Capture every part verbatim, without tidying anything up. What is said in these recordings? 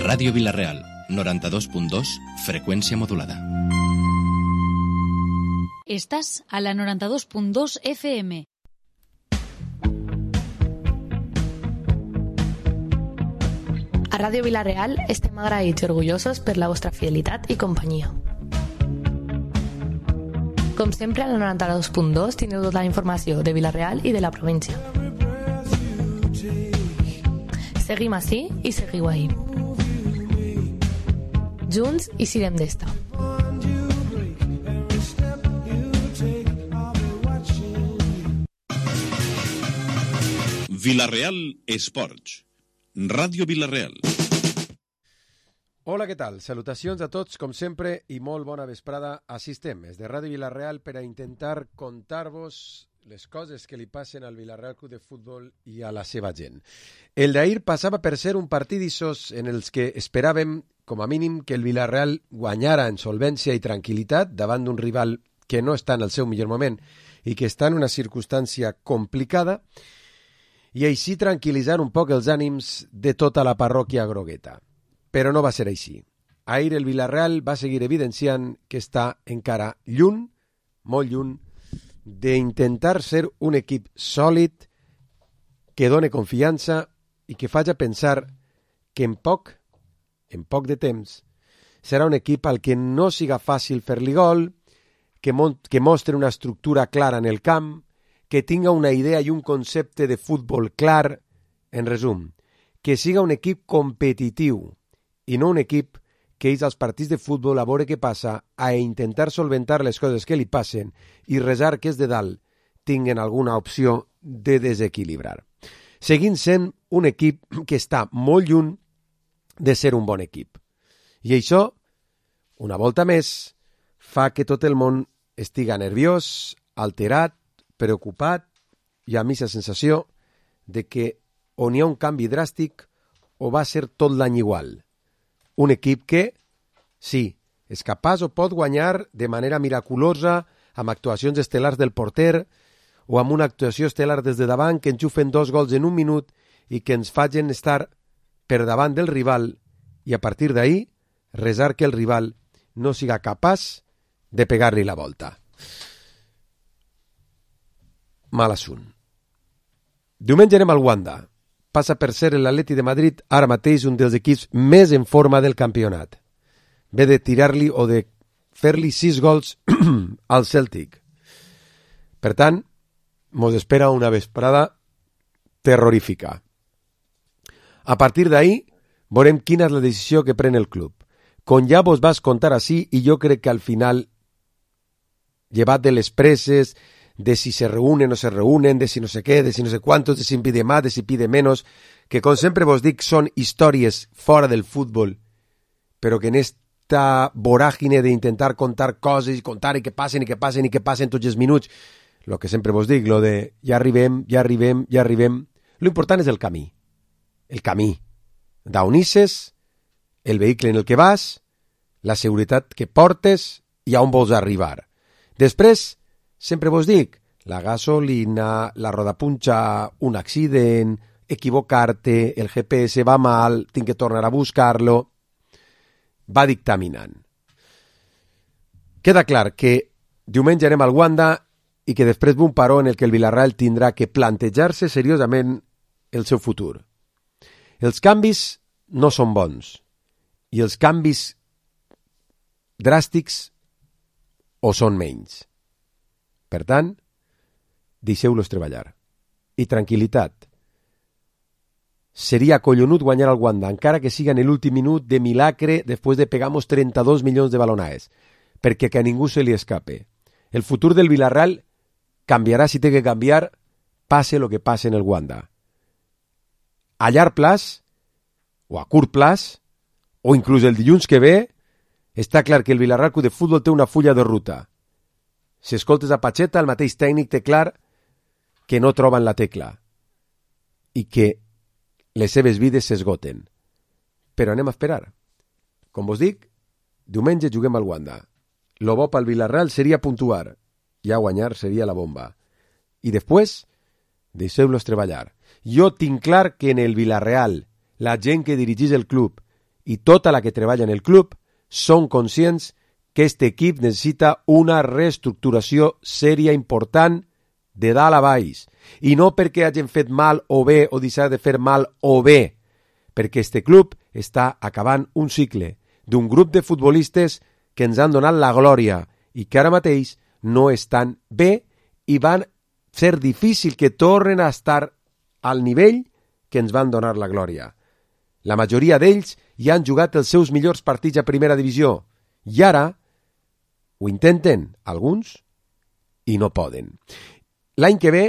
Ràdio Vila-real, noranta-dos punt dos, freqüència modulada. Estàs a la noranta-dos punt dos F M. A Ràdio Vila-real estem agraïts i orgullosos per la vostra fidelitat i companyia. Com sempre, a la noranta-dos punt dos teniu tota la informació de Vila-real i de la província. Seguim ací i seguiu ahí. Junts i sirem d'esta. Vila-real Esports. Ràdio Vila-real. Hola, què tal? Salutacions a tots, com sempre, i molt bona vesprada. Així estem, des de Ràdio Vila-real, per a intentar contar-vos les coses que li passen al Vila-real Club de Futbol i a la seva gent. El d'ahir passava per ser un partit d'issos en els que esperàvem, com a mínim, que el Vila-real guanyara en solvència i tranquil·litat davant d'un rival que no està en el seu millor moment i que està en una circumstància complicada, i així tranquil·litzar un poc els ànims de tota la parròquia grogueta. Però no va ser així. Ahir el Vila-real va seguir evidenciant que està encara lluny, molt lluny, d'intentar ser un equip sòlid, que done confiança i que faci pensar que en poc, en poc de temps, serà un equip al que no siga fàcil fer-li gol, que, mo- que mostre una estructura clara en el camp, que tinga una idea i un concepte de futbol clar, en resum, que siga un equip competitiu i no un equip que és als partits de futbol a veure què passa, a intentar solventar les coses que li passen i resar que és de dalt tinguen alguna opció de desequilibrar. Seguint sent un equip que està molt lluny de ser un bon equip. I això, una volta més, fa que tot el món estiga nerviós, alterat, preocupat i amb aquesta sensació de que on hi ha un canvi dràstic o va ser tot l'any igual. Un equip que, sí, és capaç o pot guanyar de manera miraculosa amb actuacions estel·lars del porter o amb una actuació estel·lar des de davant que enxufen dos gols en un minut i que ens facin estar per davant del rival i a partir d'ahir resar que el rival no siga capaç de pegar-li la volta. Mal assunt. Diumenge anem al Wanda. Passa per ser l'Atleti de Madrid ara mateix un dels equips més en forma del campionat. Ve de tirar-li o de fer-li sis gols al Celtic. Per tant, mos espera una vesprada terrorífica. A partir d'ahir, veurem quina és la decisió que pren el club. Com ja vos vas contar així, i jo crec que al final, llevat de les preses, de si se reúnen o se reúnen, de si no sé què, de si no sé cuántos, de si pide más, de si pide menos, que com sempre vos dic són històries fora del futbol, però que en esta voràgine d'intentar contar coses i contar i que passen i que passen i que passen tots els minuts, lo que sempre vos dic, lo de ja arribem, ja arribem, ja arribem, lo important és el camí, el camí, d'on isses, el vehicle en el que vas, la seguretat que portes i a on vols arribar. Després, sempre vos dic, la gasolina, la rodapunxa, un accident, equivocar-te, el G P S va mal, tinc que tornar a buscar-lo, va dictaminant. Queda clar que diumenge anem al Wanda i que després d'un paró en el que el Vila-real tindrà que plantejar-se seriosament el seu futur. Els canvis no són bons i els canvis dràstics o són menys. Per tant, deixeu-los treballar. I tranquil·litat. Seria collonut guanyar al Wanda, encara que siga en l'últim minut de milagre després de pegamos trenta-dos milions de balonades, perquè que a ningú se li escape. El futur del Vila-real canviarà si té que canviar, passe lo que passe en el Wanda. A llarg plaç, o a curt plaç, o inclús el dilluns que ve, està clar que el Vila-real Club de Futbol té una fulla de ruta. Si escoltes a Pacheta, el mateix tècnic té clar que no troben la tecla i que les seves vides s'esgoten. Però anem a esperar. Com vos dic, diumenge juguem al Wanda. Lo bo pel Vila-real seria puntuar. Ja guanyar seria la bomba. I després, deixeu-los treballar. Jo tinc clar que en el Vila-real, la gent que dirigís el club i tota la que treballa en el club són conscients que aquest equip necessita una reestructuració sèria important de dalt a baix. I no perquè hagin fet mal o bé o deixar de fer mal o bé, perquè este club està acabant un cicle d'un grup de futbolistes que ens han donat la glòria i que ara mateix no estan bé i van ser difícil que tornen a estar al nivell que ens van donar la glòria. La majoria d'ells ja han jugat els seus millors partits a primera divisió i ara ho intenten alguns i no poden. L'any que ve,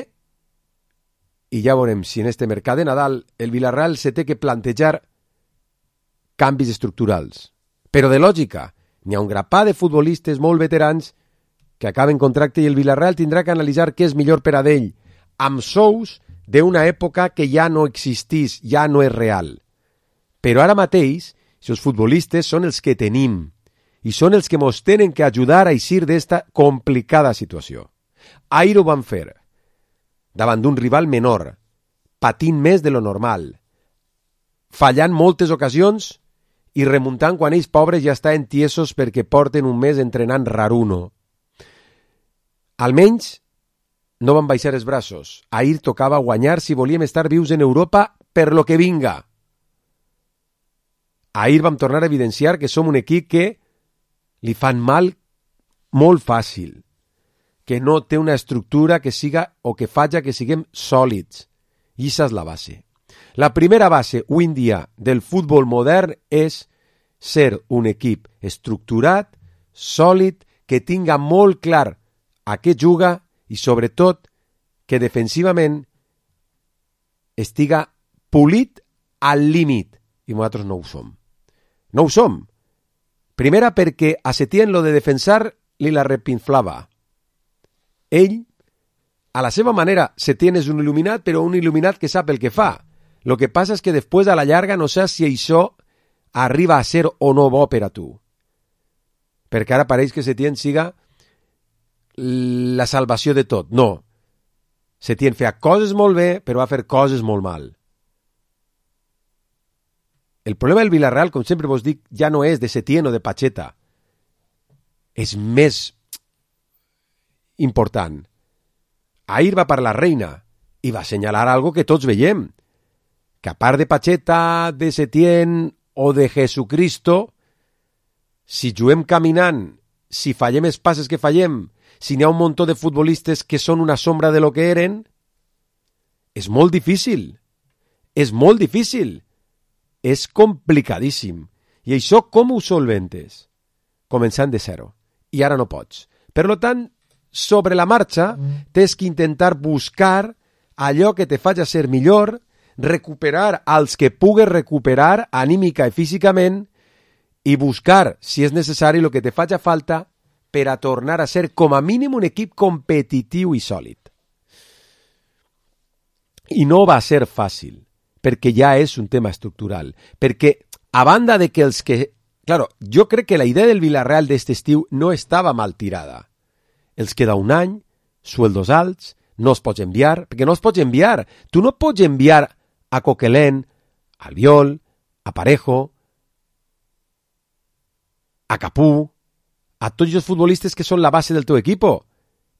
i ja veurem si en este mercat de Nadal el Villarreal se té que plantejar canvis estructurals. Però de lògica, n'hi ha un grapà de futbolistes molt veterans que acaben contracte i el Villarreal tindrà que analitzar què és millor per a d'ell, amb sous d'una època que ja no existís, ja no és real. Però ara mateix, els futbolistes són els que tenim i són els que ens tenen que ajudar a eixir d'esta complicada situació. Ahir ho van fer, davant d'un rival menor, patint més de lo normal, fallant moltes ocasions i remuntant quan ells pobres ja estan tiesos perquè porten un mes entrenant raruno. Almenys no van baixar els braços. Ahir tocava guanyar si volíem estar vius en Europa per lo que vinga. Ahir vam tornar a evidenciar que som un equip que li fan mal molt fàcil, que no té una estructura que siga o que faci que siguem sòlids. I aquesta és la base. La primera base avui en dia del futbol modern és ser un equip estructurat, sòlid, que tinga molt clar a què juga i, sobretot, que defensivament estiga polit al límit. I nosaltres no ho som. No ho som. Primera, perquè a Setién lo de defensar li la repinflava. Ell, a la seva manera, Setién és un il·luminat, però un il·luminat que sap el que fa. Lo que passa és que després, a la llarga, no saps si això arriba a ser o no bo per a tu. Perquè ara pareix que Setién siga la salvació de tot. No. Setién feia coses molt bé, però va fer coses molt mal. El problema del Villarreal, com sempre vos dic, ja no és de Setién o de Pacheta. És més important. Ahir va parlar Reina i va assenyalar algo que tots veiem, que a part de Pacheta, de Setién o de Jesucristo, si juguem caminant, si fallem els passes que fallem, si n'hi ha un muntó de futbolistes que són una sombra de lo que eren, és molt difícil. És molt difícil. És complicadíssim. I això com ho solventes? Començant de zero. I ara no pots. Per tant, sobre la marxa, tens que intentar buscar allò que te faci ser millor, recuperar els que pugues recuperar anímica i físicament i buscar, si és necessari, el que te faci falta per a tornar a ser com a mínim un equip competitiu i sòlid. I no va ser fàcil, perquè ja és un tema estructural. Perquè, a banda de que els que... Claro, jo crec que la idea del Villarreal d'este estiu no estava mal tirada. Els queda un any, sueldos alts, no es pots enviar, perquè no es pots enviar. Tu no pots enviar a Coquelin, a Albiol, a Parejo, a Capú, a tots els futbolistes que són la base del teu equipo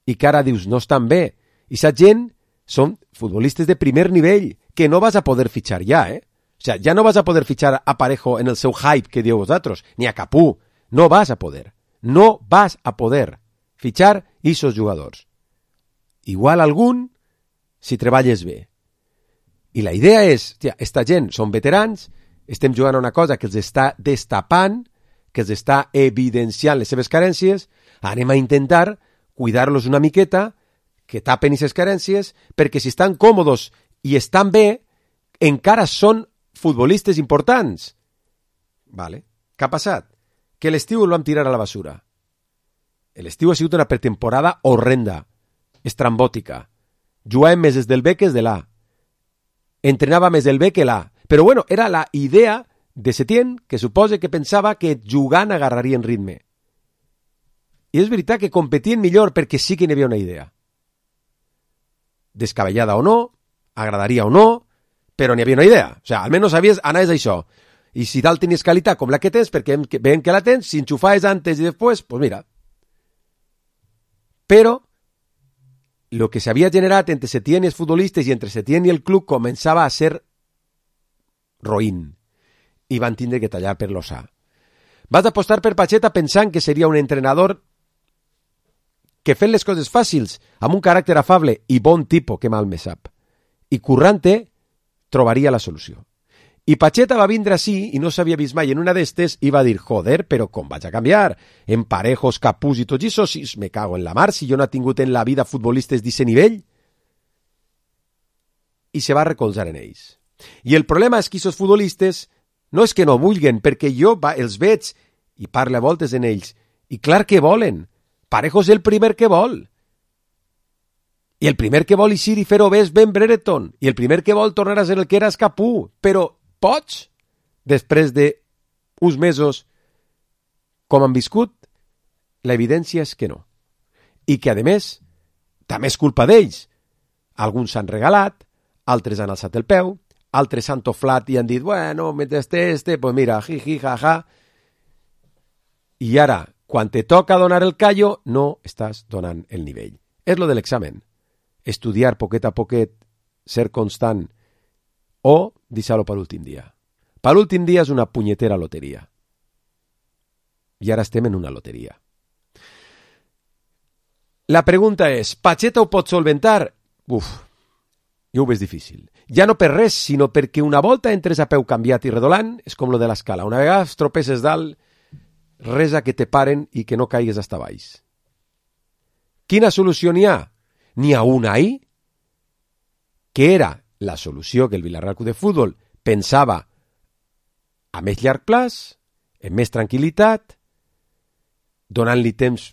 i que ara dius no estan bé. I sa gent són futbolistes de primer nivell que no vas a poder fitxar ja, eh? O sea, ja no vas a poder fitxar a Parejo en el seu hype que dieu vosaltres, ni a Capú. No vas a poder. No vas a poder fitxar aquests jugadors. Igual algun si treballes bé. I la idea és, tia, esta gent són veterans, estem jugant a una cosa que els està destapant, que els està evidenciant les seves carències, anem a intentar cuidar-los una miqueta, que tapen aquestes carències, perquè si estan còmodes i estan bé, encara són futbolistes importants. Vale. Què ha passat? Que l'estiu el vam tirar a la basura. L'estiu ha sigut una pretemporada horrenda, estrambòtica. Jugàvem més des del B que des de l'A. Entrenava més el B que l'A. Però bueno, era la idea de Setién, que suposa que pensava que jugant agarrarien ritme. I és veritat que competien millor perquè sí que n'hi havia una idea. Descabellada o no, agradaria o no, però n'hi havia una idea. O sigui, almenys sabies, anaves a això. I si dalt tenies qualitat com la que tens, perquè veiem que la tens, si enxufaves antes i després, pues mira. Però lo que s'havia generat entre Setién i els futbolistes i entre Setién i el club començava a ser roïn. I van tindre que tallar per l'ossà. Vas apostar per Pacheta pensant que seria un entrenador que fent les coses fàcils, amb un caràcter afable i bon tipus, que mal me sap. I currante trobaria la solució. I Pacheta va vindre així i no s'havia vist mai en una d'estes i va dir, joder, però com vaig a canviar? En Parejos, Capús i tots això, si me cago en la mar, si jo no he tingut en la vida futbolistes d'aquest nivell. I se va recolzar en ells. I el problema és que aquests futbolistes no és que no vulguen, perquè jo va, els veig i parlo a voltes en ells, i clar que volen. Parejos és el primer que vol. I el primer que vol eixir i fer-ho bé és Ben Brereton. I el primer que vol tornar a ser el que era és Capú. Però pots, després d'uns mesos com han viscut, l'evidència és que no. I que, a més, també és culpa d'ells. Alguns s'han regalat, altres han alçat el peu, altres s'han toflat i han dit, bueno, mentre este, este, pues mira, jiji, jaja. I ara, quan te toca donar el callo, no estàs donant el nivell. És lo de l'examen. Estudiar poquet a poquet, ser constant, o deixar-lo per l'últim dia. Per l'últim dia és una punyetera loteria. I ara estem en una loteria. La pregunta és, Pacheta ho pot solventar? Uf, jo ho veig difícil. Ja no per res, sinó perquè una volta entres a peu canviat i redolant, és com lo de l'escala. Una vegada es tropeces dalt, resa que te paren i que no caigues hasta baix. Quina solució n'hi ha? N'hi ha una ahí, que era la solució que el Villarreal Club de Futbol pensava a més llarg plaç, amb més tranquil·litat, donant-li temps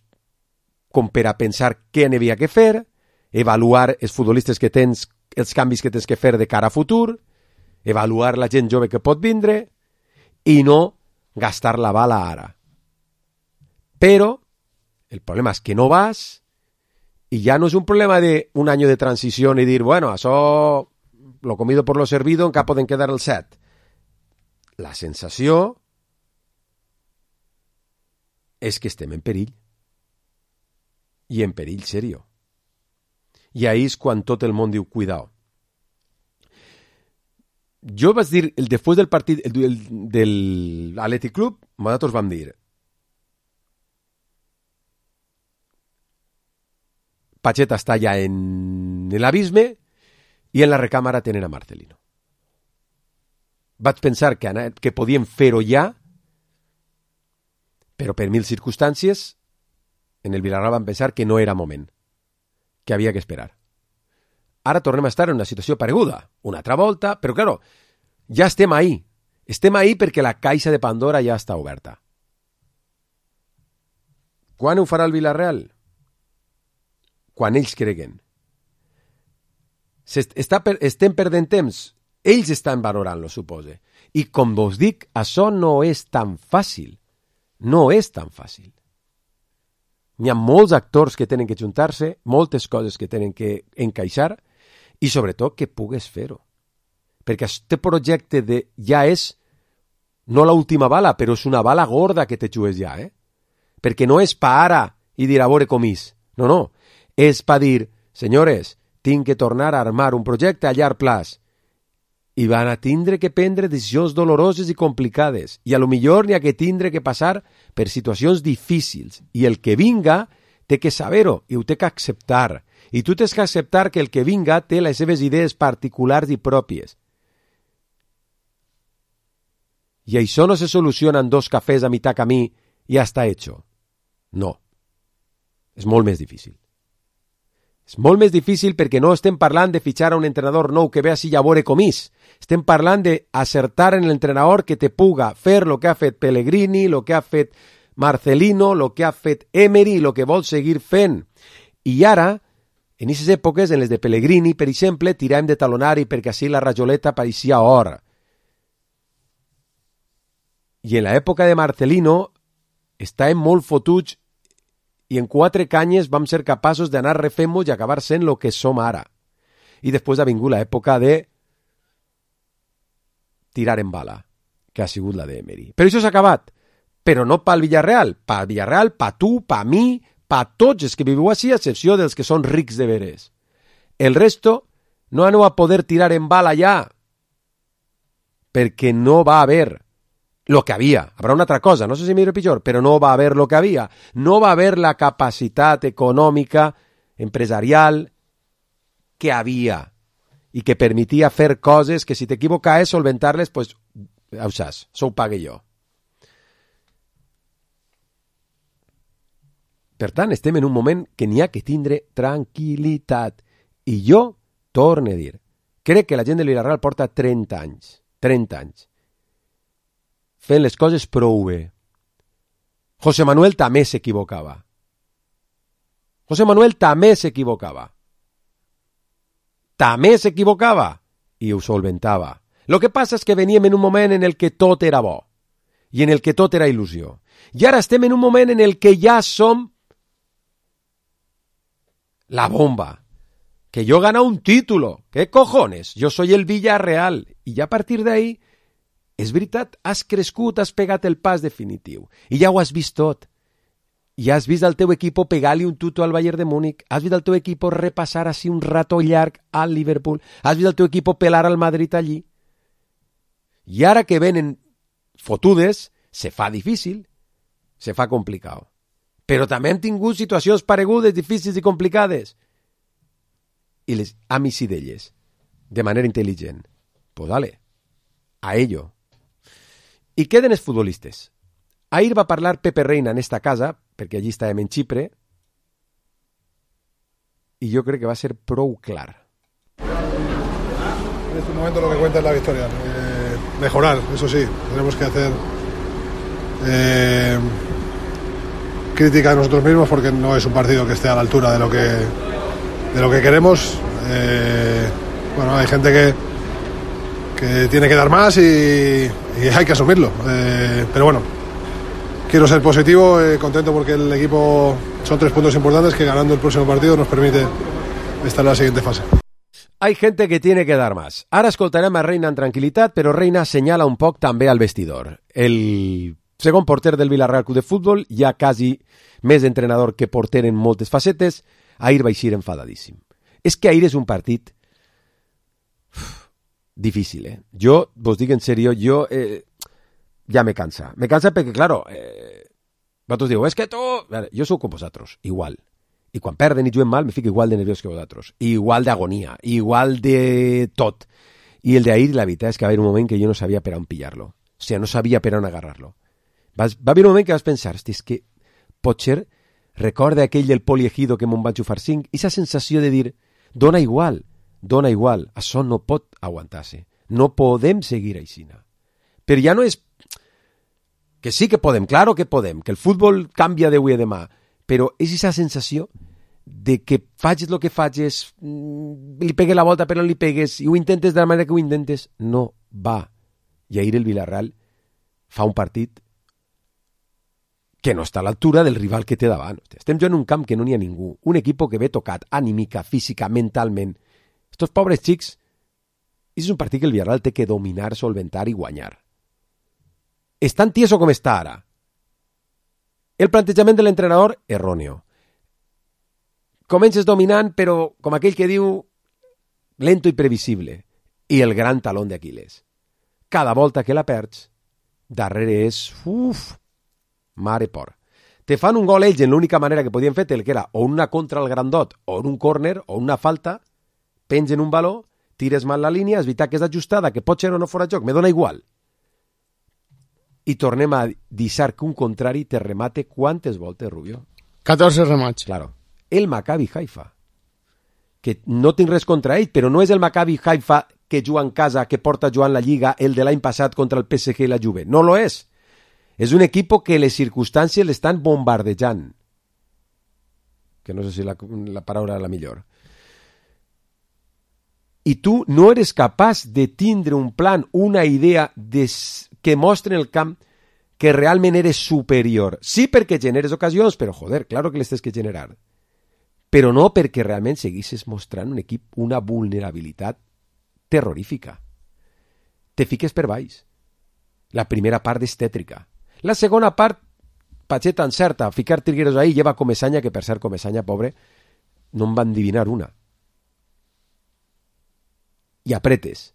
com per a pensar què n'hi havia que fer, avaluar els futbolistes que tens, els canvis que tens que fer de cara a futur, avaluar la gent jove que pot vindre i no gastar la bala ara. Però el problema és que no vas y ya no es un problema de un año de transición y dir, bueno, això lo comido por lo servido, encara poden quedar el set. La sensació és que estem en perill. I en perill serio. I ahí és quan tot el món diu, cuidao. Jo vaig dir, el, després del partit el, el, del Athletic Club, nosaltres vam dir, Pacheta està ja en l'abisme i en la recàmera tenen a Marcelino. Vaig pensar que, que podien fer-ho ja, però per mil circumstàncies en el Villarreal van pensar que no era moment, que havia que esperar. Ara tornem a estar en una situació pareguda, una altra volta, però claro, ja estem ahí. Estem ahí perquè la caixa de Pandora ja està oberta. Quan ho farà el Villarreal? Quan ells creguen. Està per, estem perdent temps. Ells estan valorant-lo, supose. I com vos dic, això no és tan fàcil. No és tan fàcil. N'hi ha molts actors que tenen que juntar-se, moltes coses que tenen que encaixar i sobretot que pugues fer-ho. Perquè aquest projecte de ja és no l'última bala, però és una bala gorda que te jugues ja, eh? Perquè no és pa ara i dir a veure com és. No, no. És per dir, senyores, tinc que tornar a armar un projecte a llarg plaç. I van a tindre que prendre decisions doloroses i complicades. I a lo millor n'hi ha que tindre que passar per situacions difícils. I el que vinga té que saber-ho i ho té que acceptar. I tu tens que acceptar que el que vinga té les seves idees particulars i pròpies. I això no se soluciona en dos cafès a mitjà camí i ja està hecho. No. És molt més difícil. És molt més difícil perquè no estem parlant de fitxar a un entrenador nou que ve així a veure com és. Estem parlant d'acertar en l'entrenador que te puga fer el que ha fet Pellegrini, el que ha fet Marcelino, el que ha fet Emery i el que vol seguir fent. I ara, en aquestes èpoques, en les de Pellegrini, per exemple, tirem de talonari perquè així la rajoleta pareixia or. I en l'època de Marcelino estàvem molt fotuts i en quatre canyes vam ser capaços d'anar refent-nos i acabar sent el que som ara. I després ha vingut l'època de tirar en bala, que ha sigut la d'Emery. Però això s'ha acabat. Però no pel Villarreal. Pel Villarreal, pa tu, pa mi, pa tots els que viviu així, a excepció dels que són rics de veres. El resto no aneu a poder tirar en bala ja, perquè no va haver lo que havia. Habrà una altra cosa, no sé si millor o pitjor, però no va haver lo que havia. No va haver la capacitat econòmica, empresarial, que havia i que permetia fer coses que si t'equivocaves, solventar-les, pues, ho saps, s'ho pague jo. Per tant, estem en un moment que n'hi ha que tindre tranquil·litat. I jo torno a dir, crec que la gent de Villarreal porta trenta anys, trenta anys, fent les coses prou bé. José Manuel també s'equivocava. José Manuel també s'equivocava. També s'equivocava i ho solventava. Lo que passa és que veníem en un moment en el que tot era bo i en el que tot era il·lusió. I ara estem en un moment en el que ja som la bomba. Que yo he ganado un título. ¿Qué cojones? Yo soy el Villarreal. I ja a partir d'ahí, és veritat, has crescut, has pegat el pas definitiu. I ja ho has vist tot. I has vist el teu equip pegar-li un tuto al Bayern de Múnich. Has vist el teu equip repassar així un rato llarg al Liverpool. Has vist el teu equip pelar al Madrid allí. I ara que venen fotudes, se fa difícil, se fa complicat. Però també hem tingut situacions paregudes, difícils i complicades. I les hem eixit d'elles, de manera intel·ligent. Pues dale, a ello. I queden els futbolistes. Ahir va parlar Pepe Reina en esta casa, perquè allí estàvem en Xipre, i jo crec que va ser prou clar. En este momento lo que cuenta es la victoria. Eh, mejorar, eso sí, tenemos que hacer eh, crítica a nosotros mismos porque no es un partido que esté a la altura de lo que de lo que queremos. Eh, bueno, hay gente que que tiene que dar más y, y hay que asumirlo. Eh, pero bueno, quiero ser positivo, eh, contento porque el equipo son tres puntos importantes que ganando el próximo partido nos permite estar en la siguiente fase. Hay gente que tiene que dar más. Ara escoltarem a Reina en tranquil·litat, però Reina senyala un poc també al vestidor. El segon porter del Villarreal Club de Futbol, ja quasi més entrenador que porter en moltes facetes, ahir va eixir enfadadíssim. És que ahir és un partit uf, difícil, eh? Jo, vos dic en serio, jo eh, ja me cansa. Me cansa perquè, claro, eh, vosaltres diu, és que tu... Veure, jo sou com vosaltres, igual. I quan perden i juguen mal, me fico igual de nerviós que vosaltres. Igual d'agonia, igual de tot. I el d'ahir, la veritat és que va haver un moment que jo no sabia per on pillar-lo. O sigui, no sabia per on agarrar-lo. Va, va haver un moment que vas pensar, hosti, és que potser recorda aquell del poliegido que me'n vaig xufar cinc, i aquesta sensació de dir, dona igual, dona igual, això no pot aguantar-se. No podem seguir aixina. Però ja no és... Que sí que podem, claro que podem, que el futbol canvia d'avui a demà, però és aquesta sensació de que facis el que facis, li pegues la volta però no li pegues, i ho intentes de la manera que ho intentes, no va. I ahir el Villarreal fa un partit que no està a l'altura del rival que té davant. Estem jugant en un camp que no n'hi ha ningú, un equip que ve tocat, anímica, física, mentalment. Estos pobres xics, és un partit que el Villarreal té que dominar, solventar i guanyar. És tan tieso com està ara. El plantejament de l'entrenador, erróneo. Comences dominant, però, com aquell que diu, lento i previsible. I el gran talón d'Aquiles. Cada volta que la perds, darrere és, uf, mare por. Te fan un gol ells en l'única manera que podien fer-te, que era o una contra al grandot, o en un córner, o una falta, pengen un baló, tires mal la línia, és veritat que és ajustada, que pot ser o no fora joc, me dona igual. I tornem a deixar que un contrari te remate quantes voltes, Rubio? catorze remats. Claro. El Maccabi Haifa. Que no tinc res contra ell, però no és el Maccabi Haifa que juga en casa, que porta jugant la Lliga, el de l'any passat contra el P S G i la Juve. No lo és. És un equip que les circumstàncies l'estan bombardejant. Que no sé si la, la paraula és la millor. I tu no eres capaç de tindre un plan, una idea de, que mostre en el camp que realment eres superior. Sí perquè generes ocasions, però joder, claro que les tens que generar. Però no perquè realment seguissis mostrant un equip una vulnerabilitat terrorífica. Te fiques per baix. La primera part és tètrica. La segona part, Pacheta encerta, ficar Trigueros ahí, lleva Comesaña, que per cert Comesaña, pobre, no en van adivinar una. I apretes.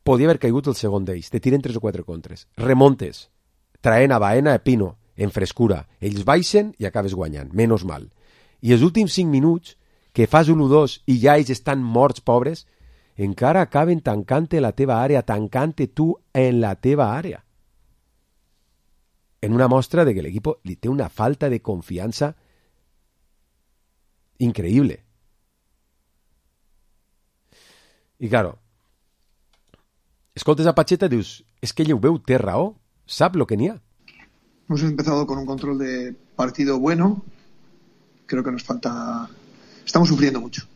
Podia haver caigut el segon d'ells, te tiren tres o quatre contres. Remontes, traent a Baena a Pino, en frescura. Ells baixen i acabes guanyant, menys mal. I els últims cinc minuts, que fas un u dos i ja ells estan morts, pobres, encara acaben tancant-te la teva àrea, tancant-te tu en la teva àrea. En una mostra de que l'equip li té una falta de confiança increïble. I, claro, escoltes a Pacheta i dius, és que ell ho veu, té raó, sap lo que n'hi ha. Hemos empezado con un control de partido bueno. Creo que nos falta... Estamos sufriendo mucho.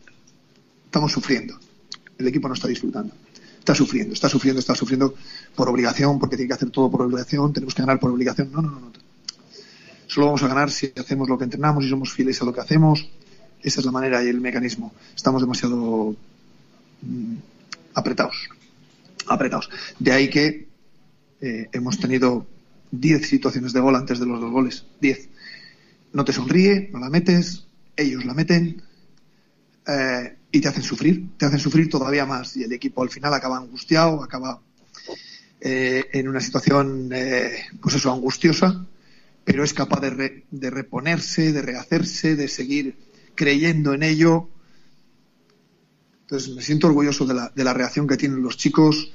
Estamos sufriendo. El equipo no está disfrutando. Está sufriendo, está sufriendo, está sufriendo por obligación, porque tiene que hacer todo por obligación, tenemos que ganar por obligación. No, no, no, no. Solo vamos a ganar si hacemos lo que entrenamos y somos fieles a lo que hacemos. Esa es la manera y el mecanismo. Estamos demasiado mmm, apretados. Apretados. De ahí que eh, hemos tenido diez situaciones de gol antes de los dos goles. diez. No te sonríe, no la metes, ellos la meten. Eh, y te hacen sufrir, te hacen sufrir todavía más y el equipo al final acaba angustiado, acaba eh, en una situación eh, pues eso, angustiosa, pero es capaz de, re, de reponerse, de rehacerse, de seguir creyendo en ello. Entonces me siento orgulloso de la, de la reacción que tienen los chicos,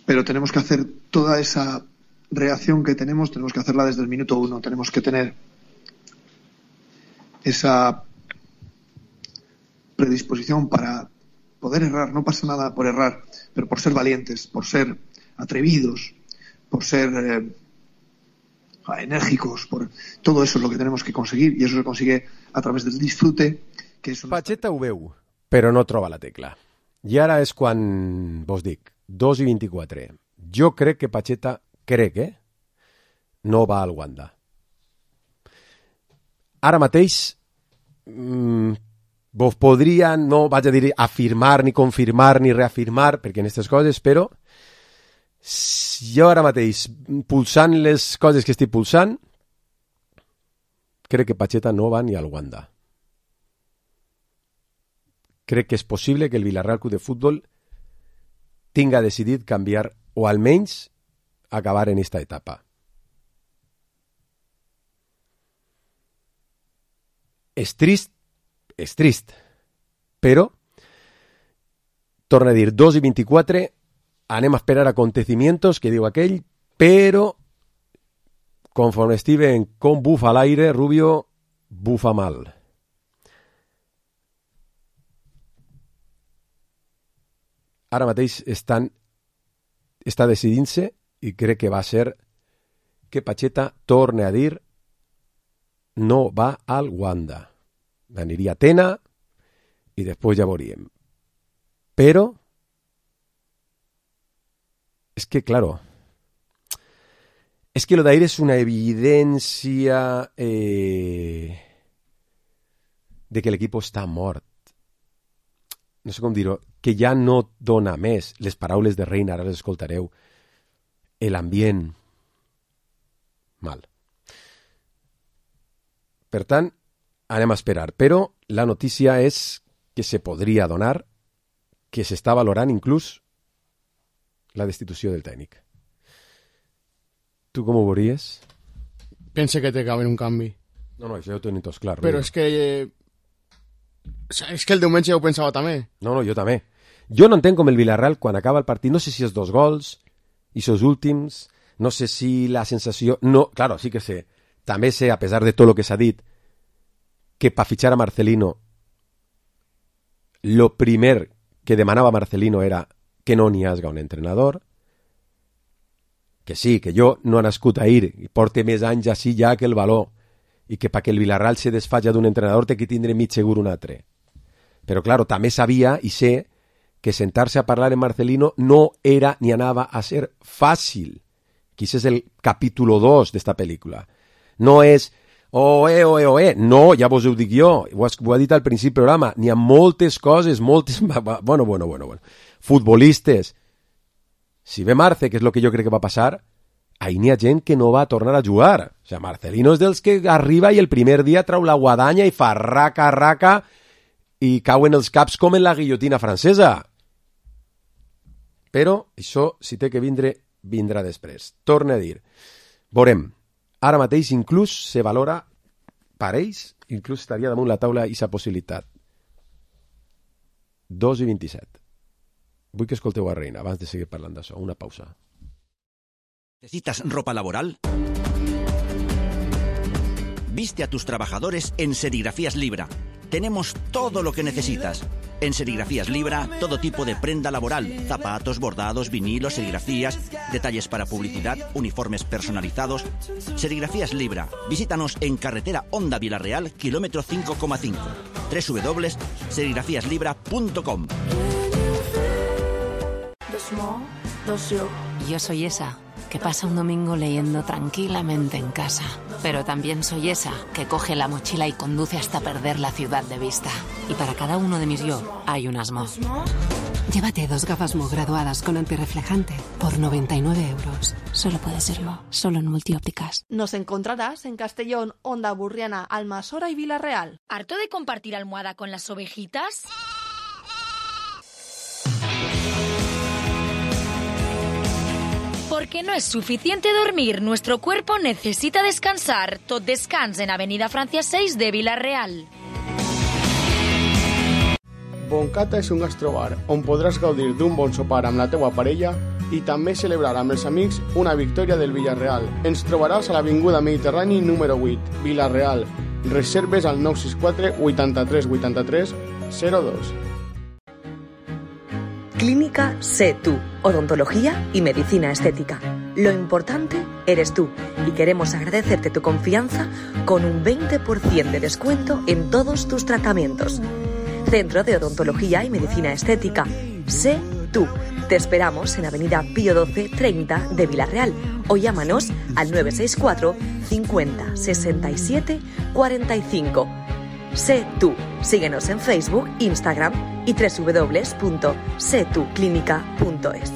pero tenemos que hacer toda esa reacción que tenemos, tenemos que hacerla desde el minuto uno, tenemos que tener esa predisposición para poder errar. No pasa nada por errar, pero por ser valientes, por ser atrevidos, por ser eh, enérgicos, por todo eso es lo que tenemos que conseguir y eso se consigue a través del disfrute. Que és una... Pacheta ho veu, però no troba la tecla. I ara és quan vos dic, dos i vint-i-quatre. Jo crec que Pacheta, crec, eh? No va al Wanda. Ara mateix mmm, vos podria, no vaig a dir afirmar, ni confirmar, ni reafirmar, perquè en aquestes coses, però jo ara mateix, pulsant les coses que estic pulsant, crec que Pacheta no va ni al Wanda. Crec que és possible que el Villarreal Club de Futbol tinga decidit canviar, o almenys acabar en esta etapa. És trist, és trist, però, torna a dir, dos i vint-i-quatre, anem a esperar acontecimientos, que diu aquell, però, conforme Steven com bufa a l'aire, Rubio bufa mal. Ara mateix estan, està decidint-se i crec que va ser que Pacheta torne a dir no va al Wanda. Aniria a Tena i després ja veuríem. Però és que, claro, és que lo d'ahir és una evidència eh, de que l'equip està mort. No sé com dir-ho, que ja no dona més. Les paraules de Reina, ara les escoltareu. L'ambient. Mal. Per tant, anem a esperar. Però la notícia és que se podria donar, que s'està valorant inclús la destitució del tècnic. Tu com ho veuries? Pense que té que haver un canvi. No, no, això ho tenim tots clar. Però és que... Eh, és que el diumenge ja ho pensava també. No, no, jo també. Jo no entenc com el Villarreal, quan acaba el partit, no sé si és dos gols, i sos últims, no sé si la sensació... No, claro, sí que sé. També sé, a pesar de tot el que s'ha dit, que per fitxar a Marcelino, lo primer que demanava Marcelino era que no n'hi hagi un entrenador, que sí, que jo no he nascut a ir, i porte més anys així ja que el valor, i que perquè el Villarreal se desfalla d'un entrenador té que tindre mig segur un altre. Però, claro, també sabia i sé que sentar-se a parlar en Marcelino no era ni anava a ser fàcil. Quizás és el capítulo dos d'esta pel·lícula. No és, oh, eh, oh, eh, oh, eh. No, ja vos ho dic jo, ho, has, ho he dit al principi del programa, n'hi ha moltes coses, moltes... Bueno, bueno, bueno, bueno. Futbolistes Si ve Marce, que és el que jo crec que va passar, ahir n'hi ha gent que no va tornar a jugar. O sigui, Marcelino és dels que arriba i el primer dia trau la guadanya i fa raca, raca i cauen els caps com en la guillotina francesa. Però això, si té que vindre, vindrà després. Torne a dir. Veurem. Ara mateix inclús se valora per ells, inclús estaria damunt la taula aquesta possibilitat. dos i vint-i-set. Vull que escolteu a Reina abans de seguir parlant d'això. Una pausa. ¿Necesitas ropa laboral? Viste a tus trabajadores en Serigrafías Libra. Tenemos todo lo que necesitas. En Serigrafías Libra, todo tipo de prenda laboral, zapatos, bordados, vinilos, serigrafías, detalles para publicidad, uniformes personalizados. Serigrafías Libra. Visítanos en carretera Honda Vilarreal, kilómetro cinco coma cinco. doble u doble u doble u punto serigrafías libra punto com. Yo soy esa que pasa un domingo leyendo tranquilamente en casa. Pero también soy esa que coge la mochila y conduce hasta perder la ciudad de vista. Y para cada uno de mis yo hay un asmo. Llévate dos gafas Mo graduadas con antirreflejante por noventa y nueve euros. Solo puede serlo, solo en Multiópticas. Nos encontrarás en Castellón, Onda Burriana, Almasora y Villarreal. ¿Harto de compartir almohada con las ovejitas? Porque no es suficiente dormir, nuestro cuerpo necesita descansar. Tot descans en Avenida Francia seis de Villarreal. Boncata és un gastrobar on podràs gaudir d'un bon sopar amb la teua parella i també celebrar amb els amics una victòria del Villarreal. Ens trobaràs a l'Avinguda Mediterrani número vuit, Villarreal. Reserves al nou sis quatre vuitanta-tres vuitanta-tres zero dos. Clínica Sé Tú, odontología y medicina estética. Lo importante eres tú y queremos agradecerte tu confianza con un veinte por ciento de descuento en todos tus tratamientos. Centro de Odontología y Medicina Estética. Sé Tú. Te esperamos en Avenida Pío doce treinta de Villarreal o llámanos al nueve seis cuatro cincuenta sesenta y siete cuarenta y cinco. Sé Tú. Síguenos en Facebook, Instagram y doble u doble u doble u punto sé tú clínica punto es.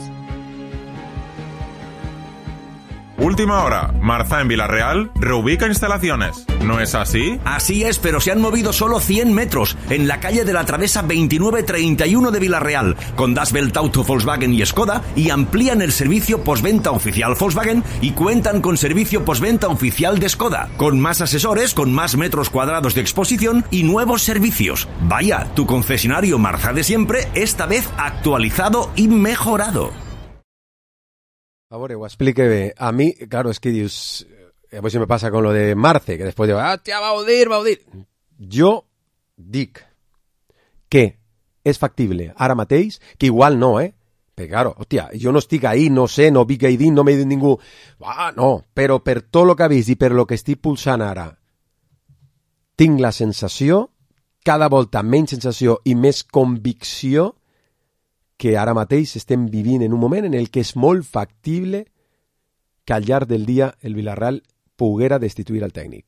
Última hora. Marza en Villarreal reubica instalaciones. ¿No es así? Así es, pero se han movido solo cien metros en la calle de la Travesa veintinueve treinta y uno de Villarreal, con Das Welt Auto, Volkswagen y Skoda, y amplían el servicio postventa oficial Volkswagen y cuentan con servicio postventa oficial de Skoda, con más asesores, con más metros cuadrados de exposición y nuevos servicios. Vaya, tu concesionario Marza de siempre, esta vez actualizado y mejorado. A veure, ho explique bé. A mi, claro, es que dius... A veure si me passa con lo de Marce, que després diu, ah, tia, vau dir, vau dir... Jo dic que és factible ara mateix, que igual no, eh? Perquè, claro, hòstia, jo no estic ahí, no sé, no vic ahí dins, no m'he dit ningú... Ah, no, però per tot el que ha vist i per lo que estic pulsant ara, tinc la sensació, cada volta menys sensació i més convicció, que ara mateix estem vivint en un moment en el que és molt factible que al llarg del dia el Villarreal poguera destituir el tècnic.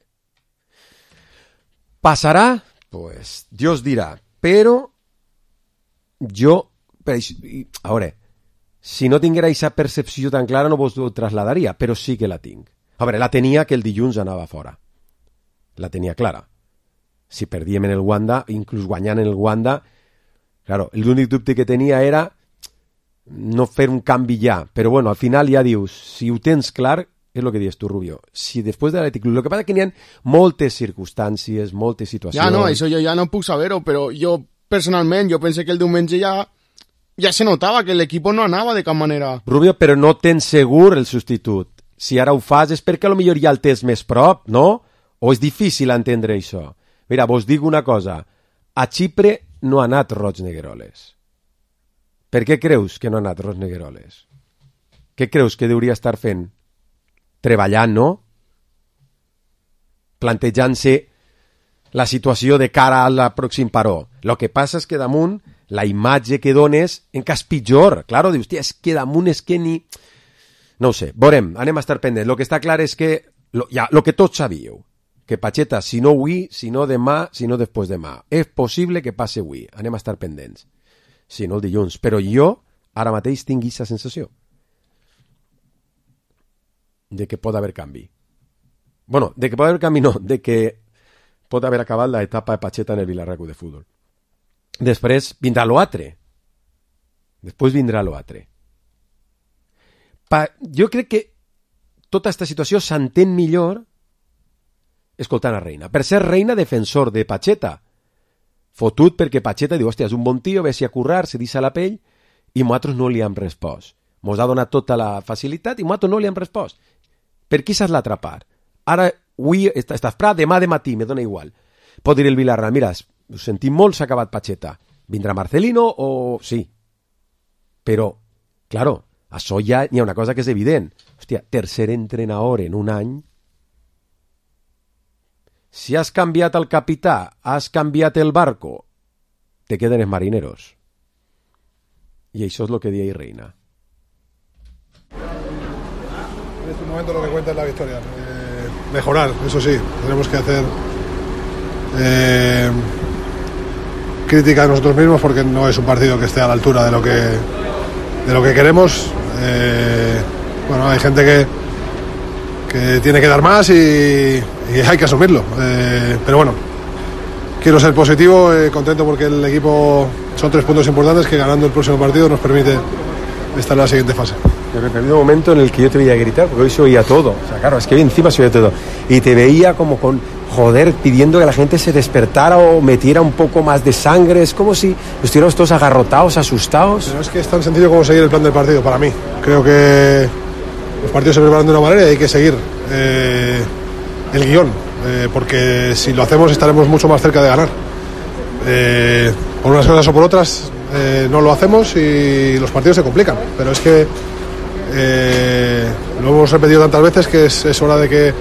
Passarà? Pues Dios dirà. Però jo, a veure, si no tinguera aquesta percepció tan clara no vos ho trasladaria, però sí que la tinc. A veure, la tenia que el dilluns anava fora. La tenia clara. Si perdíem en el Wanda, inclús guanyant en el Wanda, claro, l'únic dubte que tenia era no fer un canvi ja, però bueno, al final ja dius, si ho tens clar, és el que dius tu, Rubio, si després de l'Atlètic Club, el que passa que n'hi ha moltes circumstàncies, moltes situacions... Ja no, això jo ja no puc saber-ho, però jo personalment, jo pensé que el diumenge ja ja se notava que l'equip no anava de cap manera. Rubio, però no tens segur el substitut. Si ara ho fas és perquè potser ja el tens més prop, no? O és difícil entendre això? Mira, vos dic una cosa, a Xipre no ha anat Roig Negueroles. Per què creus que no ha anat Roig Negueroles? Què creus que hauria estar fent? Treballant, no? Plantejant-se la situació de cara al pròxim paró. El que passa és que damunt la imatge que dones encara és pitjor. Claro, dius, tia, és que damunt és que ni... No ho sé, veurem, anem a estar pendents. El que està clar és que, lo, ja, lo que tots sabíeu, que Pacheta, si no avui, si no demà, si no després demà. És possible que passi avui. Anem a estar pendents. Si no el dilluns. Però jo, ara mateix, tinc aquesta sensació. de que pot haver canvi. Bueno, de que pot haver canvi no, de que pot haver acabat l'etapa de Pacheta en el Villarreal Club de Futbol. Després vindrà l'altre. Després vindrà l'altre. Pa... Jo crec que tota aquesta situació s'entén millor escoltant a Reina. Per ser Reina defensor de Pacheta. Fotut perquè Pacheta diu, hòstia, és un bon tio, vés a currar, se deixa la pell, i nosaltres no li hem respost. Mos ha donat tota la facilitat i nosaltres no li hem respost. Per qui s'has l'atrapar? Ara, avui estàs prat, demà de matí, me dona igual. Pot dir el Villarreal, mira, ho sentim molt, s'ha acabat Pacheta. Vindrà Marcelino o... Sí. Però, claro, això ja hi ha una cosa que és evident. Hòstia, tercer entrenador en un any. Si has canviat el capità, has canviat el barco, te queden els marineros. Y eso es lo que dice Reina. En este momento lo que cuenta es la victoria. Eh, mejorar, eso sí. Tenemos que hacer eh, crítica a nosotros mismos porque no es un partido que esté a la altura de lo que de lo que queremos. Eh, bueno, hay gente que que tiene que dar más y, y hay que asumirlo. Eh, pero bueno, quiero ser positivo, eh, contento porque el equipo son tres puntos importantes que ganando el próximo partido nos permite estar en la siguiente fase. Yo me perdí un momento en el que yo te veía gritar, porque hoy se oía todo. O sea, claro, es que encima se oía todo. Y te veía como con, joder, pidiendo que la gente se despertara o metiera un poco más de sangre. Es como si estuviéramos todos agarrotados, asustados. Pero es que es tan sencillo como seguir el plan del partido, para mí. Creo que los partidos se preparan de una manera y hay que seguir eh, el guión. Eh, porque si lo hacemos estaremos mucho más cerca de ganar. Eh, por unas cosas o por otras eh, no lo hacemos y los partidos se complican, pero es que eh, lo hemos repetido tantas veces que es, es hora de que,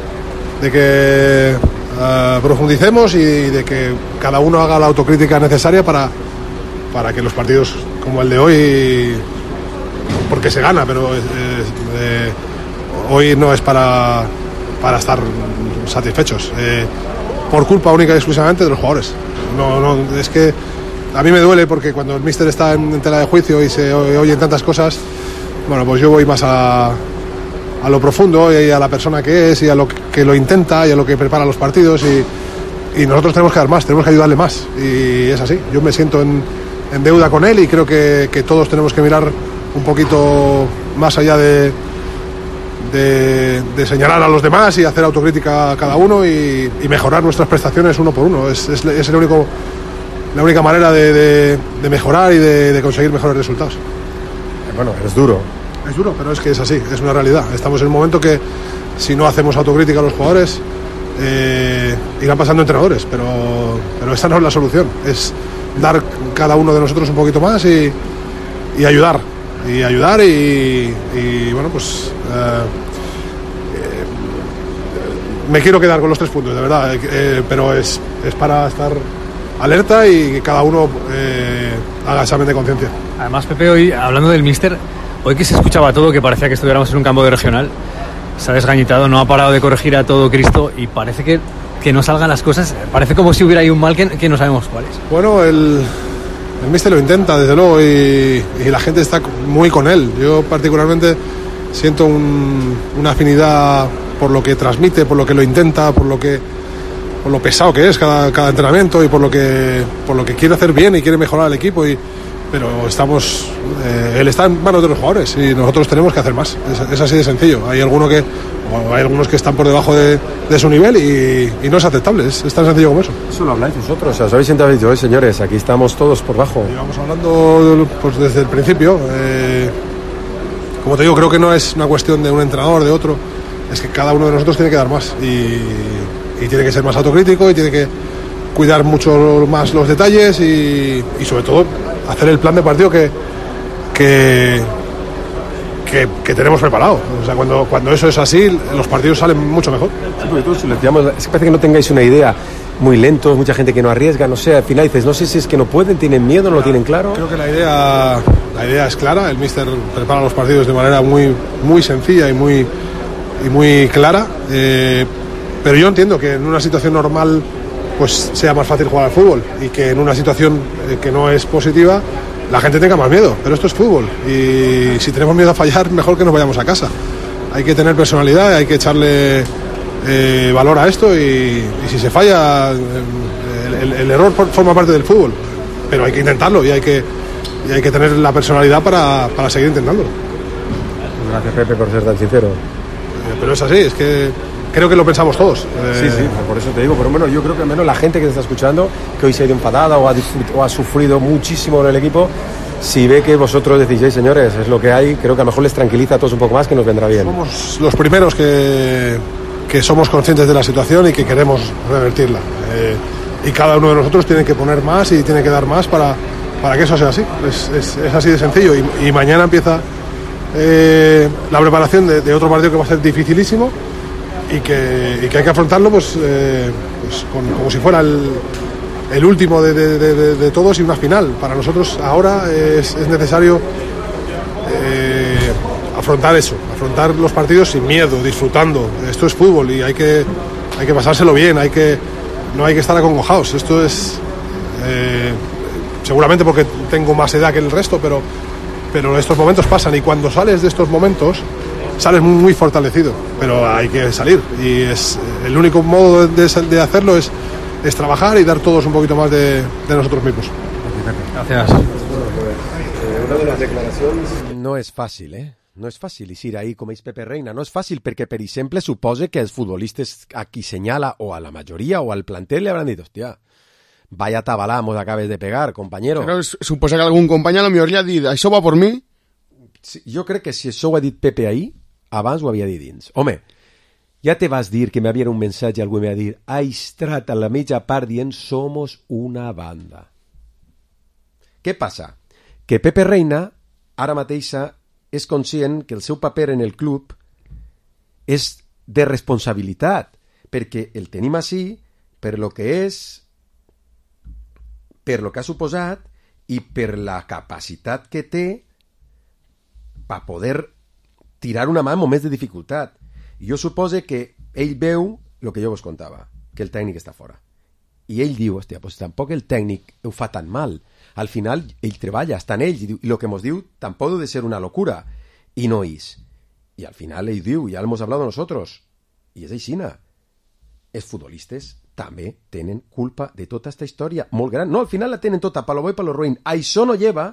de que uh, profundicemos y de que cada uno haga la autocrítica necesaria para, para que los partidos como el de hoy, porque se gana, pero eh, eh, hoy no es para, para estar satisfechos, eh, por culpa única y exclusivamente de los jugadores. No, no, es que a mí me duele porque cuando el míster está en, en tela de juicio y se oyen tantas cosas, bueno, pues yo voy más a, a lo profundo y a la persona que es y a lo que lo intenta y a lo que prepara los partidos y, y nosotros tenemos que dar más, tenemos que ayudarle más y es así. Yo me siento en, en deuda con él y creo que, que todos tenemos que mirar un poquito más allá de De, de señalar a los demás y hacer autocrítica a cada uno y, y mejorar nuestras prestaciones uno por uno. Es, es, es el único, la única manera de, de, de mejorar y de, de conseguir mejores resultados. Bueno, es duro. Es duro, pero es que es así, es una realidad. Estamos en un momento que si no hacemos autocrítica a los jugadores eh, irán pasando entrenadores, pero, pero esta no es la solución. Es dar cada uno de nosotros un poquito más y, y ayudar. y ayudar y, y bueno pues eh, eh, me quiero quedar con los tres puntos de verdad, eh, pero es, es para estar alerta y que cada uno eh, haga examen de conciencia. Además, Pepe, hoy hablando del míster, hoy que se escuchaba todo, que parecía que estuviéramos en un campo de regional, se ha desgañitado, no ha parado de corregir a todo Cristo y parece que, que no salgan las cosas, parece como si hubiera ahí un mal que, que no sabemos cuál es. Bueno, el El míster lo intenta, desde luego, y, y la gente está muy con él. Yo particularmente siento un, una afinidad por lo que transmite, por lo que lo intenta, por lo que por lo pesado que es cada, cada entrenamiento y por lo que por lo que quiere hacer bien y quiere mejorar el equipo. Y, pero estamos, eh, él está en manos de los jugadores y nosotros tenemos que hacer más. Es, es así de sencillo. Hay alguno que o hay algunos que están por debajo de, de su nivel y, y no es aceptable, es, es tan sencillo como eso. Eso lo habláis vosotros, o sea, os habéis sentado y dicho, señores, aquí estamos todos por bajo. Llevamos hablando pues, desde el principio. Eh, como te digo, creo que no es una cuestión de un entrenador, de otro, es que cada uno de nosotros tiene que dar más y, y tiene que ser más autocrítico y tiene que cuidar mucho más los detalles y, y sobre todo hacer el plan de partido que... que Que, que tenemos preparado. O sea, cuando, cuando eso es así, los partidos salen mucho mejor. Sí, porque todos, si lo decíamos, es que parece que no tengáis una idea, muy lentos, mucha gente que no arriesga, no sé, al final dices, no sé si es que no pueden, tienen miedo, no lo tienen claro. Creo que la idea, la idea es clara, el míster prepara los partidos de manera muy, muy sencilla y muy, y muy clara, eh, pero yo entiendo que en una situación normal pues sea más fácil jugar al fútbol y que en una situación eh, que no es positiva la gente tenga más miedo, pero esto es fútbol y si tenemos miedo a fallar, mejor que nos vayamos a casa. hay que tener personalidad, hay que echarle eh, valor a esto y, y si se falla, el, el, el error forma parte del fútbol, pero hay que intentarlo y hay que, y hay que tener la personalidad para, para seguir intentándolo. Gracias, Pepe, por ser tan sincero. Eh, pero es así, es que creo que lo pensamos todos. Eh... Sí, sí, por eso te digo, pero bueno, yo creo que al menos la gente que te está escuchando, que hoy se ha ido enfadada o ha, o ha sufrido muchísimo en el equipo, si ve que vosotros decís, hey, señores, es lo que hay, creo que a lo mejor les tranquiliza a todos un poco más, que nos vendrá bien. Somos los primeros que, que somos conscientes de la situación y que queremos revertirla. Eh, y cada uno de nosotros tiene que poner más y tiene que dar más para, para que eso sea así. Es, es, es así de sencillo. Y, y mañana empieza eh, la preparación de, de otro partido que va a ser dificilísimo y que, y que hay que afrontarlo pues, eh, pues con, como si fuera el, el último de, de, de, de todos y una final. Para nosotros ahora es, es necesario eh, afrontar eso, afrontar los partidos sin miedo, disfrutando. Esto es fútbol y hay que, hay que pasárselo bien, hay que, no hay que estar acongojados. Esto es eh, seguramente porque tengo más edad que el resto, pero, pero estos momentos pasan y cuando sales de estos momentos sales muy, muy fortalecido, pero hay que salir y es el único modo de, de hacerlo es, es trabajar y dar todos un poquito más de, de nosotros mismos. Gracias. Una de las declaracions... No és fàcil, eh? No és fàcil eixir ahir com és Pepe Reina. No és fàcil perquè, per exemple, supose que els futbolistes a qui senyala, o a la majoria, o al plantel, li hauran dit, hòstia, vaya tabalà mos acabes de pegar, compañero. Però suposa que algun company a lo millor li ha dit, això va por mi? Sí, jo crec que si això ho ha dit Pepe ahir, abans ho havia dit dins. Home, ja te vas dir que m'havia un missatge, algú m'ha dit, ha estrat a la mitja part dient somos una banda. Què passa? Que Pepe Reina, ara mateixa, és conscient que el seu paper en el club és de responsabilitat, perquè el tenim així per lo que és, per lo que ha suposat i per la capacitat que té per poder tirar una mà en moments de dificultat. I jo supose que ell veu el que jo vos contava, que el tècnic està fora. I ell diu, hòstia, pues tampoc el tècnic ho fa tan mal. Al final, ell treballa, està en ells, i el que mos diu tampoc ha de ser una locura. I no és. I al final ell diu, ja l'hemos hablado nosotros, i és aixina. Els futbolistes també tenen culpa de tota aquesta història, molt gran. No, al final la tenen tota, pa lo bo i pa lo ruïn. Això no lleva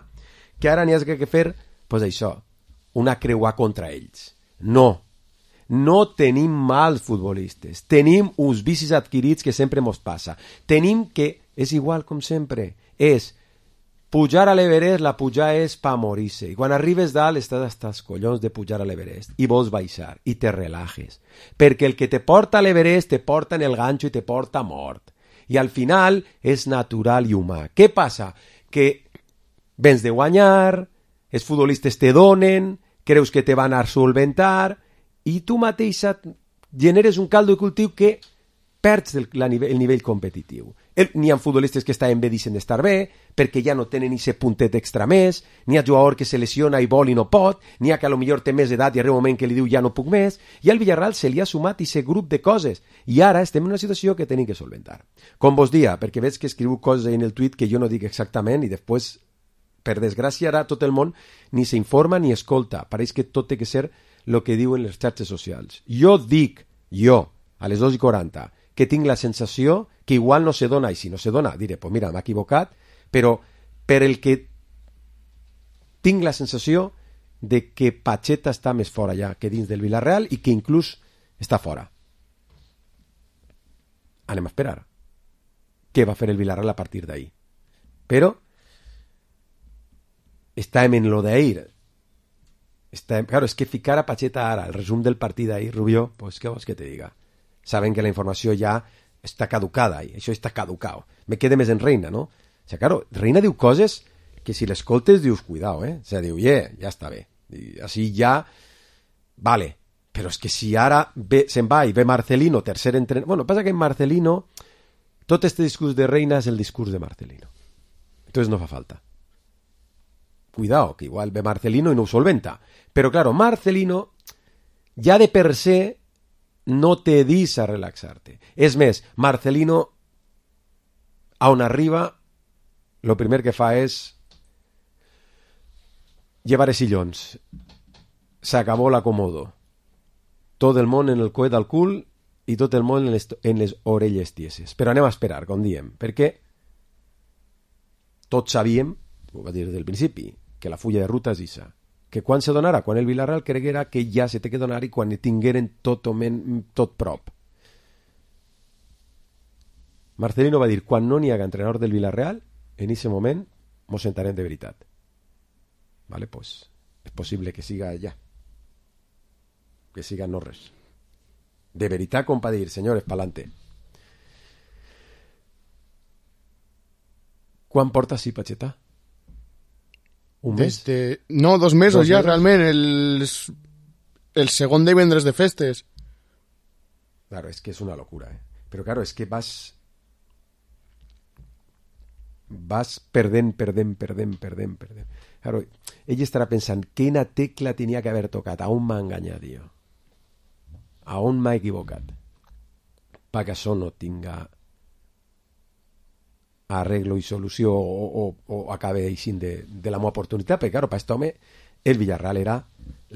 que ara n'hi hagi que fer, pues això, una creuà contra ells. No. No tenim mals futbolistes. Tenim uns vicis adquirits que sempre mos passa. Tenim que, és igual com sempre, és pujar a l'Everest, la pujar és pa morir-se. I quan arribes dalt estàs hasta els collons de pujar a l'Everest i vols baixar i te relajes. Perquè el que te porta a l'Everest te porta en el ganxo i te porta mort. I al final és natural i humà. Què passa? Que vens de guanyar, els futbolistes te donen, creus que te van a solventar i tu mateixa generes un caldo de cultiu que perds el, la nivell, el nivell competitiu. N'hi ha futbolistes que estaven bé deixen d'estar bé, perquè ja no tenen aquest puntet extra més, n'hi ha jugador que se lesiona i vol i no pot, n'hi ha que a lo millor té més edat i arriba un moment que li diu ja no puc més, i al Villarreal se li ha sumat aquest grup de coses, i ara estem en una situació que tenim que solventar. Com vos dia, perquè veig que escriu coses en el tuit que jo no dic exactament, i després, per desgràcia, ara tot el món ni s'informa ni escolta. Pareix que tot té que ser el que diuen les xarxes socials. Jo dic, jo, a les dos i quaranta, que tinc la sensació que igual no se dona, i si no se dona diré, pues mira, m'ha equivocat, però per el que tinc la sensació de que Pacheta està més fora ja que dins del Villarreal i que inclús està fora. Anem a esperar què va fer el Villarreal a partir d'ahir. Però estàvem en lo d'ahir. Estàvem, claro, és que ficar a Pacheta ara, el resum del partit d'ahir, Rubió, pues què vols que te diga? Saben que la informació ja està caducada i això està caducado. Me quede més en Reina, ¿no? O sea, claro, Reina diu coses que si l'escoltes dius, cuidao, eh? O sea, diu, yeah, ja està bé. I així ja, vale. Però és que si ara ve, se'n va i ve Marcelino, tercer entrenador... Bueno, passa que en Marcelino, tot este discurs de Reina és el discurs de Marcelino. Entonces no fa falta. Cuidao, que igual ve Marcelino i no ho solventa. Però, claro, Marcelino ja de per se no te dis a relaxar-te. És més, Marcelino, a on arriba, lo primer que fa és llevar els sillons. S'acabó l'acomodo. tot el món en el coet al cul i tot el món en les, en les orelles tieses. Però anem a esperar, com diem, perquè tots sabíem, ho va dir del principi, que la fulla de ruta és issa, que quan se donarà, quan el Villarreal creguera que ja se té que donar i quan tingueren tot, men, tot prop. Marcelino va dir, quan no n'hi haga entrenador del Villarreal, en aquest moment mos sentarem de veritat. Vale, pues, és possible que siga ja. Que siga no res. De veritat, com pa dir, senyores, pa'lante. Quan porta sí, Pacheta? Un mes? Desde... No, dos mesos dos ja, mesos? realment. El, el segon divendres de festes. Claro, és que és una locura, eh? Però claro, és que vas... vas perdent, perdent, perdent, perdent, perdent. Claro, ell estarà pensant, quina tecla tenia que haver tocat? A on m'ha enganyat, jo? A on m'ha equivocat? Perquè això no tinga arreglo i solució o, o, o acabe així de, de la meva oportunitat, perquè claro, per aquest home el Villarreal era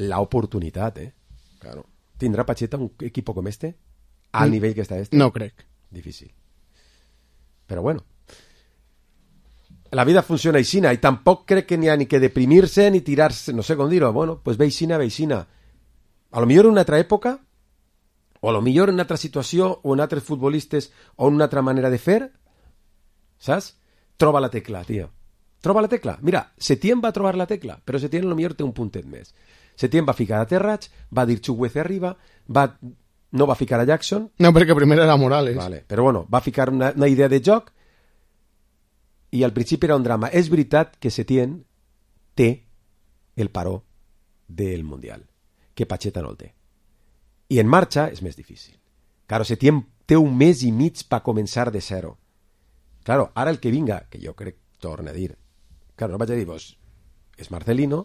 la oportunitat, eh? Claro. ¿Tindrà Pacheta un equipo com este? Al nivell que està este? No crec. Difícil. Però bueno, la vida funciona aixina i tampoc crec que n'hi ha ni que deprimir-se ni tirar-se, no sé com dir-ho, bueno, pues ve aixina, ve aixina. A lo millor en una altra època, o a lo millor en una altra situació, o en altres futbolistes, o en una altra manera de fer, saps? Troba la tecla, tio. Troba la tecla. Mira, Setién va trobar la tecla, però Setién a lo millor té un puntet més. Setién va ficar a Terrats, va dir Chukwueze arriba, va... no va ficar a Jackson. No, perquè primer era Morales. Vale. Però bueno, va ficar una, una idea de joc i al principi era un drama. És veritat que Setién té el paró del Mundial, que Pacheta no el té. I en marxa és més difícil. Claro, Setién té un mes i mig per començar de zero. Claro, ara el que vinga, que jo crec, torna a dir, claro, no vaig a dir, vos, és Marcelino,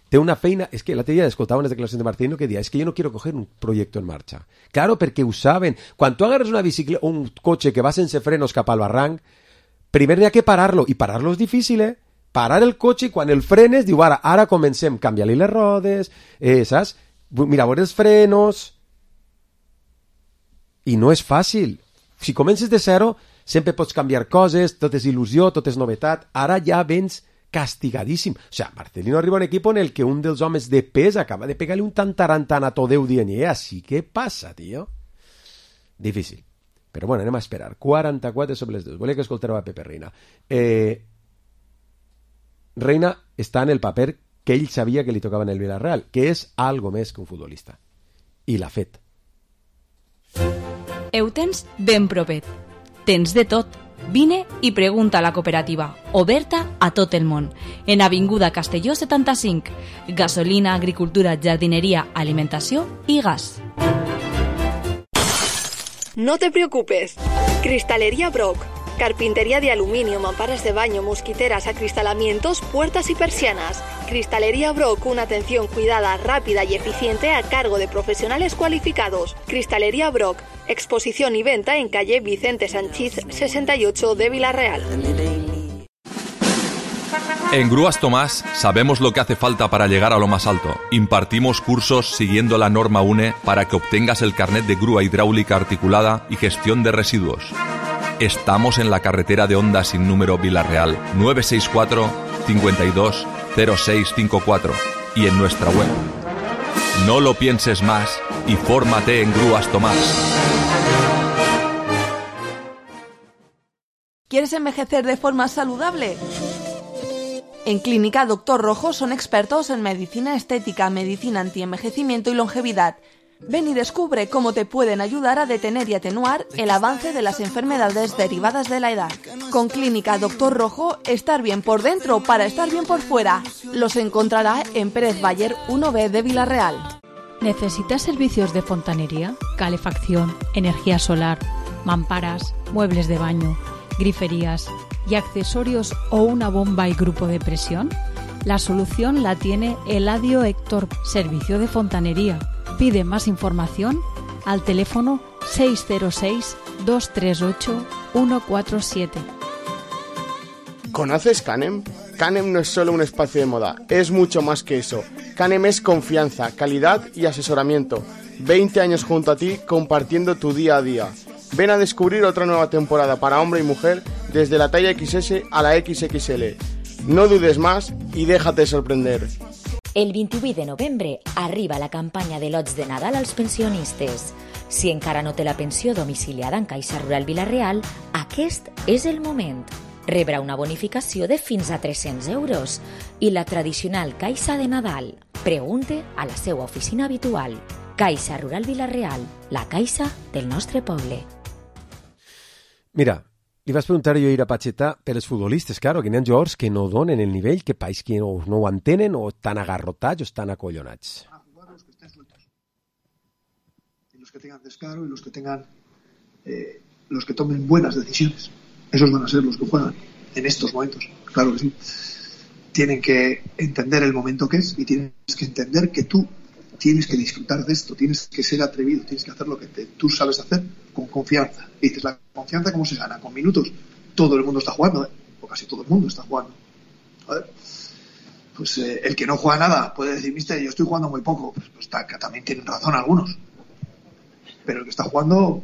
té una feina, és que l'altre dia escoltava unes declaracions de Marcelino que dia, és que jo no quiero coger un proyecto en marcha. Claro, perquè ho saben. Quan tu agarres una bicicleta, un cotxe que va sense frenos cap al barranc, primer n'hi ha que parar-lo, i parar-lo és difícil, eh? Parar el cotxe i quan el frenes, diu, ara, ara comencem, canvia-li les rodes, eh, saps? Mira, veure els frenos... I no és fàcil. Si comences de zero, sempre pots canviar coses, tot és il·lusió, tot és novetat. Ara ja vens castigadíssim. O sigui, Marcelino arriba a un equip en el que un dels homes de pes acaba de pegar-li un tantarantan a Todeu dient, eh, així què passa, tio? Difícil. Però bueno, anem a esperar. quaranta-quatre sobre les dues. Volia que escolteu a Pepe Reina. Eh, Reina està en el paper que ell sabia que li tocava en el Villarreal, que és algo més que un futbolista. I l'ha fet. Ho tens ben propet. Tens de tot. Vine i pregunta a la cooperativa, oberta a tot el món. En Avinguda Castelló setanta-cinc. Gasolina, agricultura, jardineria, alimentació i gas. No te preocupes. Cristalería Brock. Carpintería de aluminio, mamparas de baño, mosquiteras, acristalamientos, puertas y persianas. Cristalería Brock, una atención cuidada, rápida y eficiente a cargo de profesionales cualificados. Cristalería Brock, exposición y venta en calle Vicente Sanchís sesenta y ocho de Villarreal. En Grúas Tomás sabemos lo que hace falta para llegar a lo más alto. Impartimos cursos siguiendo la norma U N E para que obtengas el carnet de grúa hidráulica articulada y gestión de residuos. Estamos en la carretera de Honda sin número Villarreal, nueve seis cuatro, cinco dos, cero seis cinco cuatro y en nuestra web. No lo pienses más y fórmate en Grúas Tomás. ¿Quieres envejecer de forma saludable? En Clínica Doctor Rojo son expertos en medicina estética, medicina antienvejecimiento y longevidad. Ven y descubre cómo te pueden ayudar a detener y atenuar el avance de las enfermedades derivadas de la edad. Con Clínica Doctor Rojo, estar bien por dentro para estar bien por fuera. Los encontrará en Pérez Bayer uno B de Villarreal. ¿Necesitas servicios de fontanería, calefacción, energía solar, mamparas, muebles de baño, griferías y accesorios o una bomba y grupo de presión? La solución la tiene Eladio Héctor, servicio de fontanería. Pide más información al teléfono seis cero seis, dos tres ocho, uno cuatro siete. ¿Conoces Canem? Canem no es solo un espacio de moda, es mucho más que eso. Canem es confianza, calidad y asesoramiento. veinte años junto a ti, compartiendo tu día a día. Ven a descubrir otra nueva temporada para hombre y mujer, desde la talla equis ese a la equis equis ele. No dudes más i déjate sorprender. El vint-i-vuit de novembre arriba la campanya de lots de Nadal als pensionistes. Si encara no té la pensió domiciliada en Caixa Rural Vila-real, aquest és el moment. Rebrà una bonificació de fins a tres-cents euros i la tradicional Caixa de Nadal. Pregunte a la seva oficina habitual. Caixa Rural Vila-real, la caixa del nostre poble. Mira, li vas preguntar jo ahir a Pacheta per els futbolistes, claro, que n'hi ha jugadors que no donen el nivell, que país que no, no ho entenen, o estan agarrotats o estan acollonats. Los que tengan descaro y los que tengan eh, los que tomen buenas decisiones, esos van a ser los que juegan en estos momentos, claro que sí. Tienen que entender el momento que es y tienes que entender que tú tienes que disfrutar de esto, tienes que ser atrevido, tienes que hacer lo que te, tú sabes hacer con confianza. Y dices, ¿la confianza cómo se gana? Con minutos. Todo el mundo está jugando, ¿eh? O casi todo el mundo está jugando. A ver, pues eh, el que no juega nada puede decir, mister, yo estoy jugando muy poco. Pues, pues está, que también tienen razón algunos. Pero el que está jugando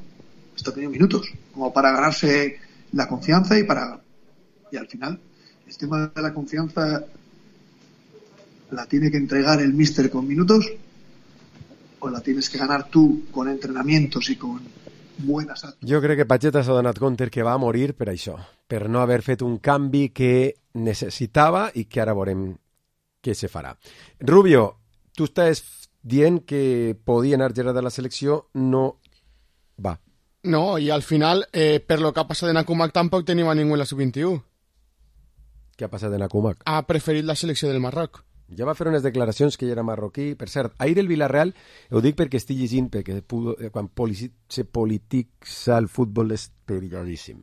está teniendo minutos, como para ganarse la confianza y para... Y al final, el tema de la confianza la tiene que entregar el míster con minutos o la tienes que ganar tú con entrenamientos i con buenas actes. Jo crec que Pacheta s'ha donat compte que va a morir per això, per no haver fet un canvi que necessitava i que ara veurem què se farà. Rubio, tu estàs dient que podia anar Gerard a la selecció, no va. No, i al final, eh, per lo que ha passat en Akumak, tampoc tenim a ningú en la sub vint-i-u. Què ha passat en Akumak? Ha preferit la selecció del Marroc. Ja va fer unes declaracions que ell era marroquí. Per cert, ahir el Villarreal, ho dic perquè estic llegint, perquè pudo, quan se polititza el futbol és perilladíssim.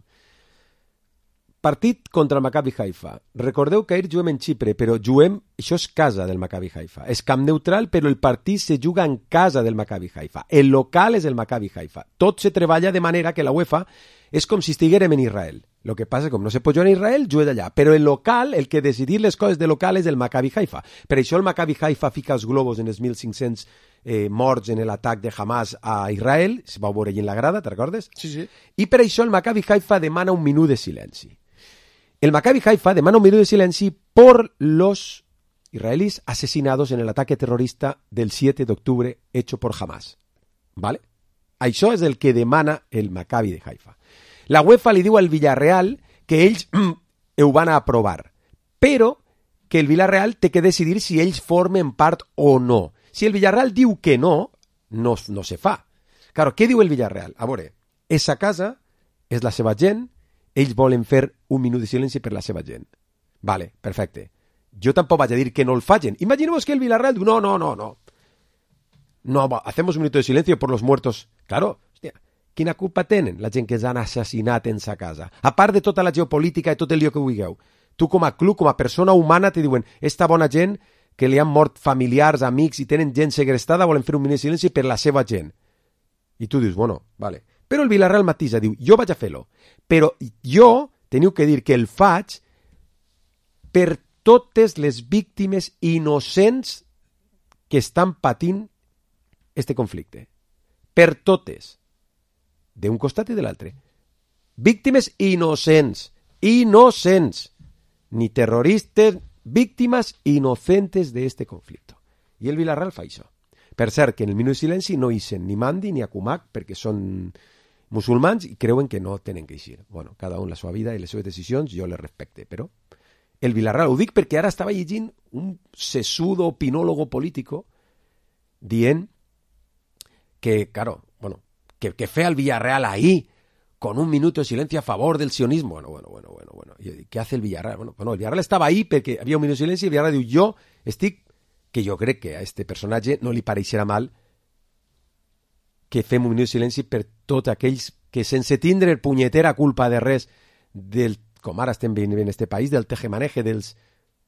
Partit contra el Maccabi Haifa. Recordeu que ahir juguem en Xipre, però juguem, això és casa del Maccabi Haifa. És camp neutral, però el partit se juga en casa del Maccabi Haifa. El local és el Maccabi Haifa. Tot se treballa de manera que la UEFA és com si estiguérem en Israel. Lo que passa, com no se pot jugar en Israel, juga d'allà. Però el local, el que decidir les coses de local és el Maccabi Haifa. Per això el Maccabi Haifa fica els globus en els mil cinc-cents eh, morts en l'atac de Hamas a Israel. Es va veure allà en la grada, te'n recordes? Sí, sí. I per això el Maccabi Haifa demana un minut de silenci. El Maccabi Haifa demana un minuto de silencio por los israelíes asesinados en el ataque terrorista del siete de octubre hecho por Hamas. ¿Vale? Això és el que demana el Maccabi de Haifa. La UEFA li diu al Villarreal que ells ho van a aprovar, però que el Villarreal té que decidir si ells formen part o no. Si el Villarreal diu que no, no, no se fa. Claro, què diu el Villarreal? A veure, esa casa és la seva gent, ells volen fer un minut de silenci per la seva gent. Vale, perfecte. Jo tampoc vaig a dir que no el facin. Imaginemos que el Villarreal diu, no, no, no, no. No, hacemos un minuto de silencio por los muertos. Claro, hòstia, quina culpa tenen la gent que els han assassinat en sa casa? A part de tota la geopolítica i tot el lío que vulgueu. Tu com a club, com a persona humana, te diuen, esta bona gent que li han mort familiars, amics i tenen gent segrestada, volen fer un minut de silenci per la seva gent. I tu dius, bueno, vale. Però el Villarreal matisa, diu, jo vaig a fer-lo, però jo teniu que dir que el faig per totes les víctimes innocents que estan patint este conflicte. Per totes. D'un costat i de l'altre. Víctimes innocents. Innocents. Ni terroristes, víctimes inocentes de este conflicto. I el Villarreal fa això. Per cert, que en el minut de silenci no ixen ni Mandi ni Akumak perquè són musulmans i creuen que no tenen que eixir. Bueno, cada un la seva vida i les seves decisions, jo les respecte, però el Villarreal, ho dic perquè ara estava llegint un sesudo opinólogo político dient que, claro, bueno, que, que fe al Villarreal ahí con un minuto de silencio a favor del sionismo. Bueno, bueno, bueno, bueno, bueno. ¿Y qué hace el Villarreal? Bueno, bueno, el Villarreal estava ahí perquè havia un minuto de silenci i el Villarreal diu, jo estic, que jo crec que a este personatge no li pareixerà mal que fem un minut de silenci per tots aquells que sense tindre punyetera culpa de res del, com ara estem veient en este país, del tejemaneje dels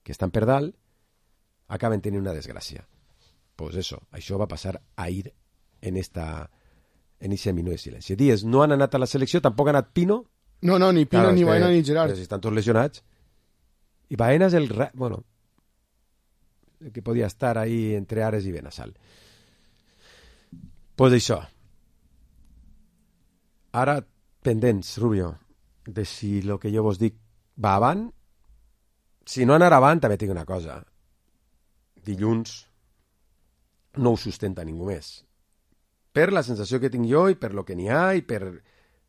que estan per dalt, acaben tenint una desgràcia. Pues eso, això va passar ahir en esta en ese minut de silenci. Dies, no han anat a la selecció, tampoc ha anat Pino. No, no, ni Pino, claro, ni Baena, ni Gerard. Però si estan tots lesionats. I Baena és el... Bueno, el que podia estar ahí entre Ares i Benassal. pues això. Ara, pendents, Rubio, de si el que jo vos dic va avant. Si no anar avant, també tinc una cosa. Dilluns no ho sustenta ningú més. Per la sensació que tinc jo i per lo que n'hi ha i per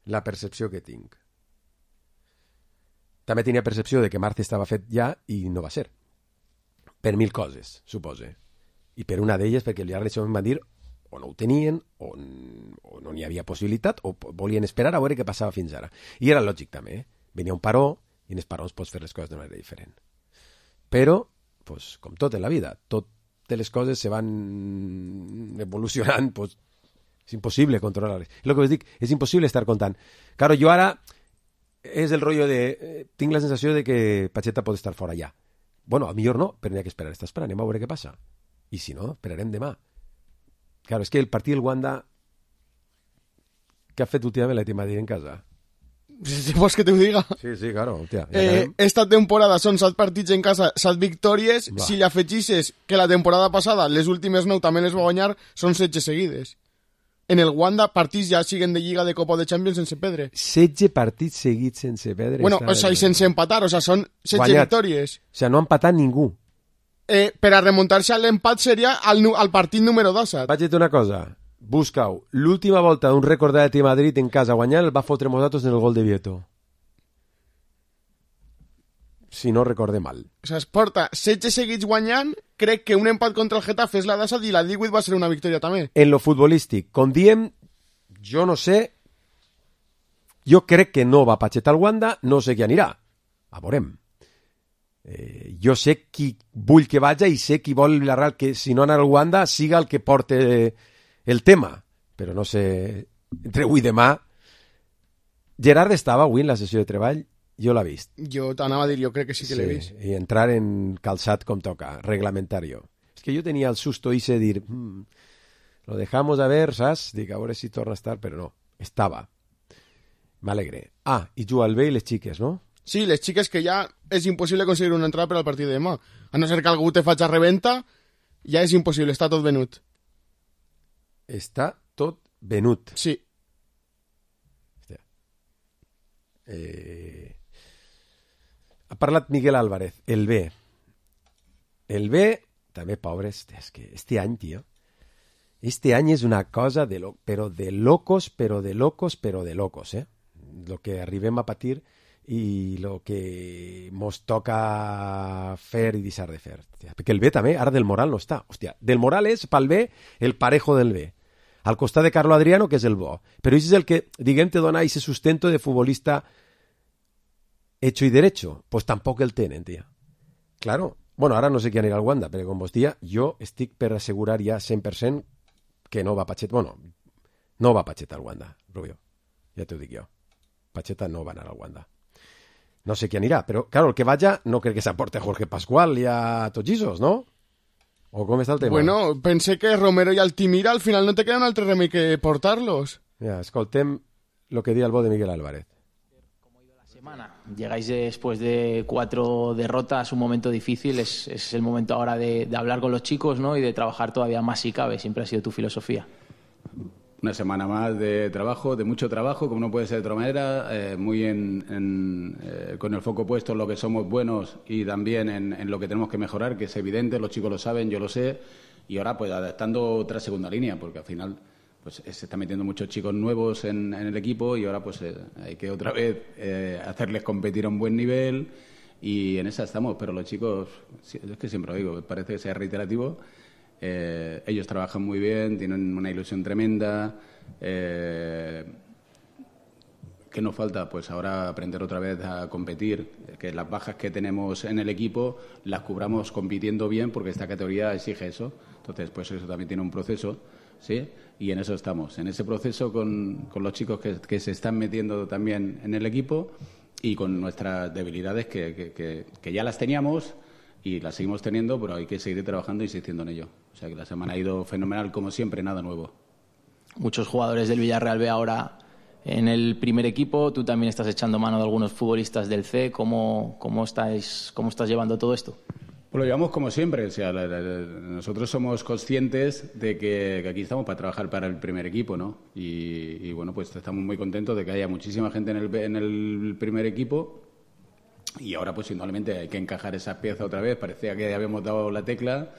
la percepció que tinc. També tenia percepció de que Marce estava fet ja i no va ser. Per mil coses, supose. I per una d'elles perquè el Villarreal em van dir o no ho tenien, o, o no n'hi havia possibilitat, o volien esperar a veure què passava fins ara. I era lògic també, eh? Venia un paró, i en els parons pots fer les coses d'una manera diferent. Però, pues, com tot en la vida, totes les coses se van evolucionant, pues, és impossible controlar-les. El que us dic, és impossible estar comptant. Claro, jo ara és el rotllo de... Eh, tinc la sensació de que Pacheta pot estar fora ja. Bueno, a millor no, però n'hi ha que esperar. Està esperant, anem a veure què passa. I si no, esperarem demà. Claro, és que el partit del Wanda que ha fet últimament l'Atlètic de Madrid en casa. Si vols que te ho diga. Sí, sí, claro. Hòstia, ja eh, esta temporada són set partits en casa, set victòries. Va. Si li afegisses que la temporada passada, les últimes nou també les va guanyar, són setze seguides. En el Wanda, partits ja siguen de Lliga, de Copa o de Champions sense perdre. setze partits seguits sense perdre. Bueno, o sea, i sense empatar, o sea, són setze victòries. O sea, no ha empatat ningú. Eh, per a remuntar-se a l'empat seria al, al partit número disset. Vaig dir una cosa, busca-ho. L'última volta d'un rècord de l'Atlètic de Madrid en casa guanyant el va fotre Mosatos en el gol de Vieto. Si no recorde mal. O sea, es porta setze seguits guanyant, crec que un empat contra el Getafe és la disset i la divuit va ser una victòria també. En lo futbolístic, com diem, jo no sé, jo crec que no va Pacheta al Wanda, no sé qui anirà. A veurem. Eh, jo sé qui vull que vaja i sé qui vol el Villarreal que si no anar al Wanda siga el que porte el tema, però no sé entre avui i demà. Gerard estava avui en la sessió de treball, jo l'he vist. Jo t'anava a dir, jo crec que sí que sí, l'he vist. I entrar en calçat com toca, reglamentario. És que jo tenia el susto i de dir mm, lo dejamos a ver, saps? Dic, a veure si torna a estar, però no, estava. M'alegre. Ah, i juga el bé i les xiques, no? Sí, les xiques que ja és impossible aconseguir una entrada per al partit de demà. A no ser que algú te faig a reventa, ja és impossible, està tot venut. Està tot venut. Sí. Hòstia. Eh... Ha parlat Miguel Álvarez, el B. El B, també pobres, és que este any, tio, este any és una cosa de lo... però de locos, però de locos, però de locos, eh? Lo que arribem a patir i lo que mos toca fer i deixar de fer. Hòstia, perquè el B també, ara del Moral no està. Hòstia, del Moral és pel B el parejo del B. Al costat de Carlo Adriano, que és el bo. Però això és el que, diguem, te dona ese sustento de futbolista hecho y derecho. Pues tampoc el tenen, tia. Claro. Bueno, ara no sé qui anirà al Wanda, però com vos dia, jo estic per assegurar ja cent per cent que no va Pacheta. Bueno, no va Pacheta al Wanda, Rubio. Ja t'ho dic jo. Pacheta no va anar al Wanda. No sé qui anirà, però, claro, el que vaja no crec que s'aporte a Jorge Pascual i a Togisos, ¿no? ¿O com està el tema? Bueno, pensé que Romero i Altimira al final no te queda un altre remei que portar-los. Ja, escoltem lo que di el bo de Miguel Álvarez. ¿Cómo ha ido la semana? Llegáis después de cuatro derrotas, un momento difícil, es, es el momento ahora de, de hablar con los chicos, ¿no? Y de trabajar todavía más si cabe, siempre ha sido tu filosofía. Una semana más de trabajo, de mucho trabajo, como no puede ser de otra manera, eh, muy en, en, eh, con el foco puesto en lo que somos buenos y también en, en lo que tenemos que mejorar, que es evidente, los chicos lo saben, yo lo sé, y ahora pues adaptando otra segunda línea, porque al final pues se están metiendo muchos chicos nuevos en, en el equipo y ahora pues eh, hay que otra vez eh, hacerles competir a un buen nivel y en esa estamos, pero los chicos, es que siempre lo digo, parece que sea reiterativo. Eh, ellos trabajan muy bien, tienen una ilusión tremenda. Eh, ¿Qué nos falta? Pues ahora aprender otra vez a competir, que las bajas que tenemos en el equipo las cubramos compitiendo bien, porque esta categoría exige eso. Entonces, pues eso también tiene un proceso, ¿sí? Y en eso estamos, en ese proceso con, con los chicos que, que se están metiendo también en el equipo y con nuestras debilidades que, que, que, que ya las teníamos y las seguimos teniendo, pero hay que seguir trabajando e insistiendo en ello. O sea que la semana ha ido fenomenal, como siempre, nada nuevo. Muchos jugadores del Villarreal B ahora en el primer equipo, tú también estás echando mano de algunos futbolistas del C. ¿Cómo, cómo, estáis, cómo estás llevando todo esto? Pues lo llevamos como siempre. O sea, la, la, la, nosotros somos conscientes de que, que aquí estamos para trabajar para el primer equipo, ¿no? Y, y bueno, pues estamos muy contentos de que haya muchísima gente en el, en el primer equipo. Y ahora, pues, indudablemente hay que encajar esa pieza otra vez. Parecía que habíamos dado la tecla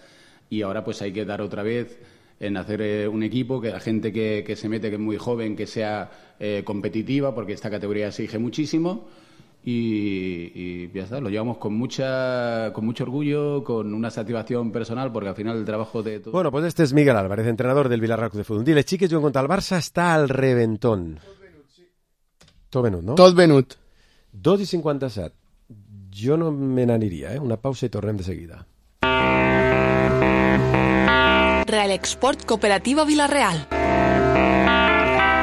y ahora, pues, hay que dar otra vez en hacer eh, un equipo, que la gente que, que se mete, que es muy joven, que sea eh, competitiva, porque esta categoría exige muchísimo. Y, y ya está, lo llevamos con mucha con mucho orgullo, con una satisfacción personal, porque al final el trabajo de todo... Bueno, pues este es Miguel Álvarez, entrenador del Villarreal Club de Fútbol. Dile, xiques, juguen contra el Barça, està al reventón. Tot venut, no? Tot venut. dos i cinquanta-set. Jo no me n'aniria, eh? Una pausa i tornem de seguida. Real Export Cooperativa Villarreal.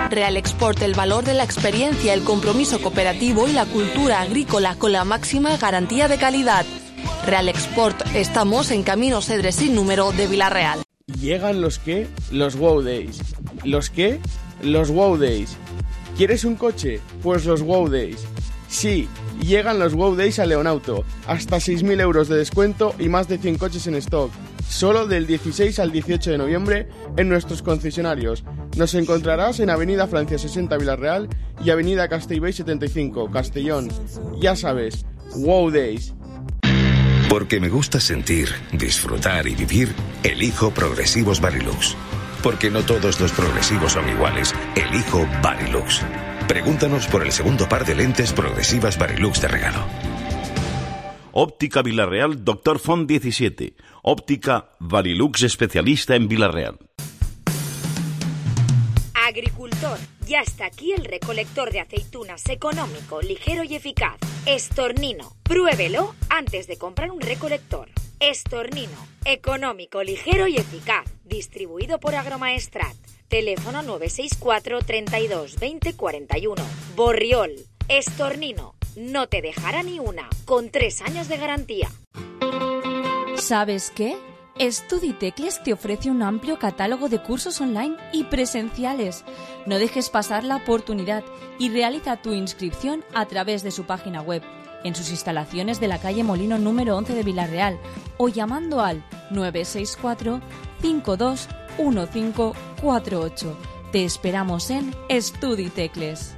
Real Export, el valor de la experiencia, el compromiso cooperativo y la cultura agrícola con la máxima garantía de calidad. Real Export, estamos en Camino Cedre sin número de Villarreal. Llegan los qué, los Wow Days. ¿Los qué? Los Wow Days. ¿Quieres un coche? Pues los Wow Days. Sí, llegan los Wow Days a Leonauto. Hasta seis mil euros de descuento y más de cien coches en stock. Solo del dieciséis al dieciocho de noviembre en nuestros concesionarios. Nos encontrarás en Avenida Francia sesenta Villarreal y Avenida Castellbell setenta y cinco, Castellón. Ya sabes, Wow Days. Porque me gusta sentir, disfrutar y vivir, elijo Progresivos Varilux. Porque no todos los progresivos son iguales, elijo Varilux. Pregúntanos por el segundo par de lentes progresivas Varilux de regalo. Óptica Villarreal, Doctor Font diecisiete. Óptica Varilux, especialista en Villarreal. Agricultor, ya está aquí el recolector de aceitunas económico, ligero y eficaz. Estornino, pruébelo antes de comprar un recolector. Estornino, económico, ligero y eficaz. Distribuido por Agromaestrat. Teléfono nueve seis cuatro, treinta y dos, veinte, cuarenta y uno. Borriol, Estornino, no te dejará ni una, con tres años de garantía. ¿Sabes qué? StudiTecles te ofrece un amplio catálogo de cursos online y presenciales. No dejes pasar la oportunidad y realiza tu inscripción a través de su página web, en sus instalaciones de la calle Molino número once de Villarreal o llamando al nueve seis cuatro, cinco dos uno cinco cuatro ocho. Te esperamos en StudiTecles.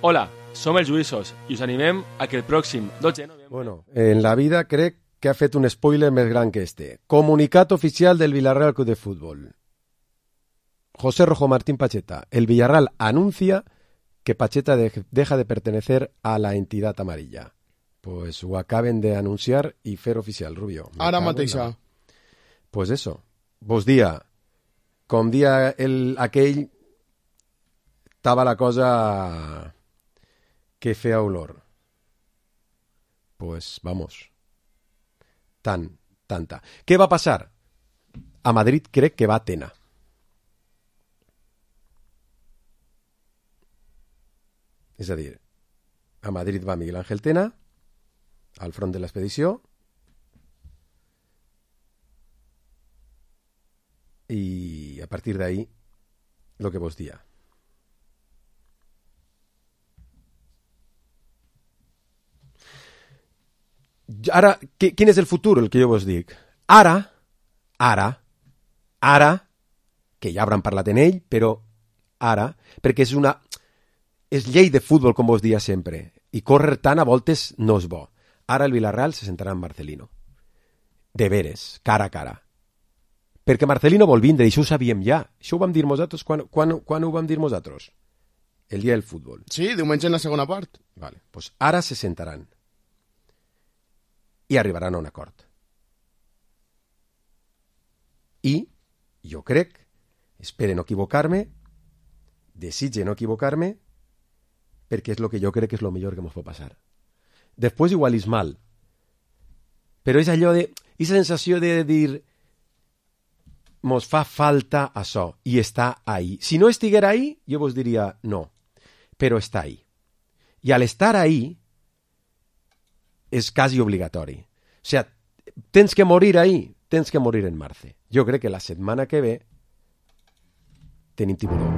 Hola, som els Lluïssos i us animem a que el pròxim dotze de novembre... Bueno, en la vida crec que ha fet un spoiler més gran que este. Comunicat oficial del Villarreal Club de Fútbol. José Rojo Martín Pacheta. El Villarreal anuncia que Pacheta de- deja de pertenecer a la entidad amarilla. Pues ho acaben de anunciar i fer oficial, Rubio. Me Ara cago en mateixa. la- Pues eso. Vos dia, com dia el, aquell, estava la cosa que feia olor. Pues vamos. Tant, tanta. Què va passar? A Madrid crec que va Tena. És a dir, a Madrid va Miguel Ángel Tena, al front de l'expedició, i a partir d'ahí, lo que vos dia. Ara, qui- quin és el futur, el que jo vos dic? Ara, ara, ara, que ja hauran parlat en ell, però ara, perquè és una... és llei de futbol, com vos dia sempre, i córrer tant a voltes no és bo. Ara el Villarreal se sentarà en Marcelino. De veres, cara a cara. Perquè Marcelino vol vindre, i això ho sabíem ja. Això ho vam dir nosaltres, quan, quan, quan ho vam dir nosaltres? El dia del futbol. Sí, diumenge en la segona part. Vale, pues ara se sentaran i arribaran a un acord. I jo crec, espere no equivocar-me, desitge no equivocar-me, perquè és el que jo crec que és el millor que ens pot passar. Després igual és mal, però és allò de... és la sensació de dir mos fa falta això, i està ahí. Si no estiguera ahí, jo vos diria no, però està ahí. I al estar ahí és quasi obligatori. O sea, tens que morir ahí, tens que morir en marzo. Jo crec que la setmana que ve tenim tiburó.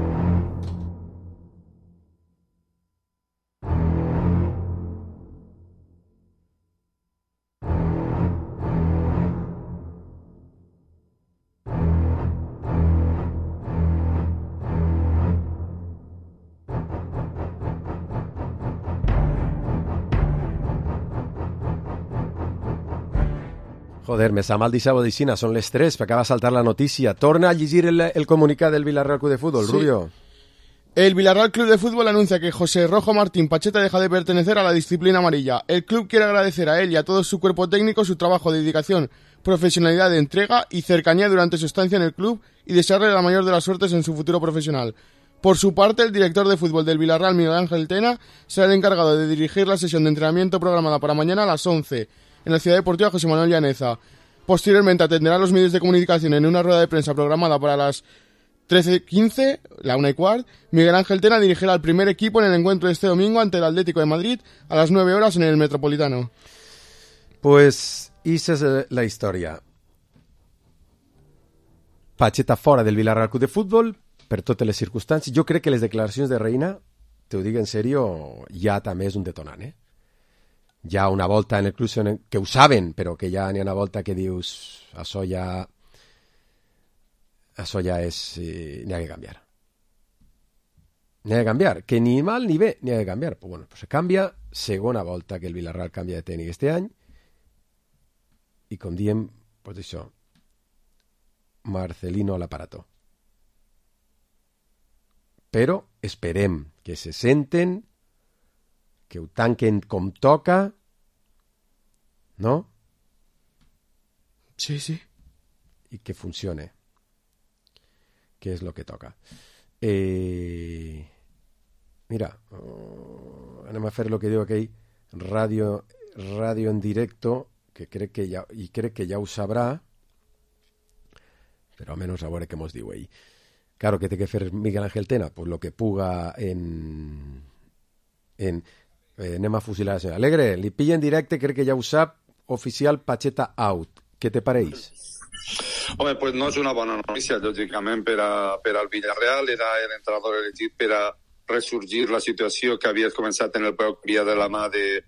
Joder, me sap mal dir-se Bodicina, són les tres, m'acaba de saltar la notícia. Torna a llegir el, el comunicat del Villarreal Club de Fútbol, sí. Rubio. El Villarreal Club de Fútbol anuncia que José Rojo Martín Pacheta deja de pertenecer a la disciplina amarilla. El club quiere agradecer a él y a todo su cuerpo técnico su trabajo, dedicación, profesionalidad, entrega y cercanía durante su estancia en el club y desearle la mayor de las suertes en su futuro profesional. Por su parte, el director de fútbol del Villarreal, Miguel Ángel Tena, será el encargado de dirigir la sesión de entrenamiento programada para mañana a las once en la Ciudad Deportiva José Manuel Llaneza. Posteriormente atenderá a los medios de comunicación en una rueda de prensa programada para las trece quince, la una y cuart. Miguel Ángel Tena dirigirá al primer equipo en el encuentro de este domingo ante el Atlético de Madrid a las nueve horas en el Metropolitano. Pues, esa es la historia. Pacheta fora del Villarreal Club de Futbol per totes les circumstàncies. Jo crec que les declaracions de Reina, te ho dic en sèrio, ja també és un detonant, eh? Hi ha una volta en el club que ho saben, però que ja n'hi ha una volta que dius això ja això ja és eh, n'hi ha que canviar n'hi ha que canviar, que ni mal ni bé n'hi ha que canviar, pues bueno, pues se canvia, segona volta que el Villarreal canvia de tècnic este any i com diem, pues això, Marcelino a l'aparato, però esperem que se senten, que ho tanquen com toca, no? Sí, sí. I que funcione, que és lo que toca. Eh... Mira, uh, anem a fer lo que diu aquell ràdio, ràdio en directo, que crec que ja, i crec que ja ho sabrà, però almenys a veure què mos diu ell. Claro, que té que fer Miguel Ángel Tena, pues lo que puga en... en eh, anem a fusilar la senyora Alegre, li pilla en directe, crec que ja ho sap, oficial Pacheta out. Què te pareix? Home, pues no és una bona notícia, lògicament, per, a, per al Villarreal. Era l'entrenador elegit per a ressorgir la situació que havia començat en el peu que havia de la mà de,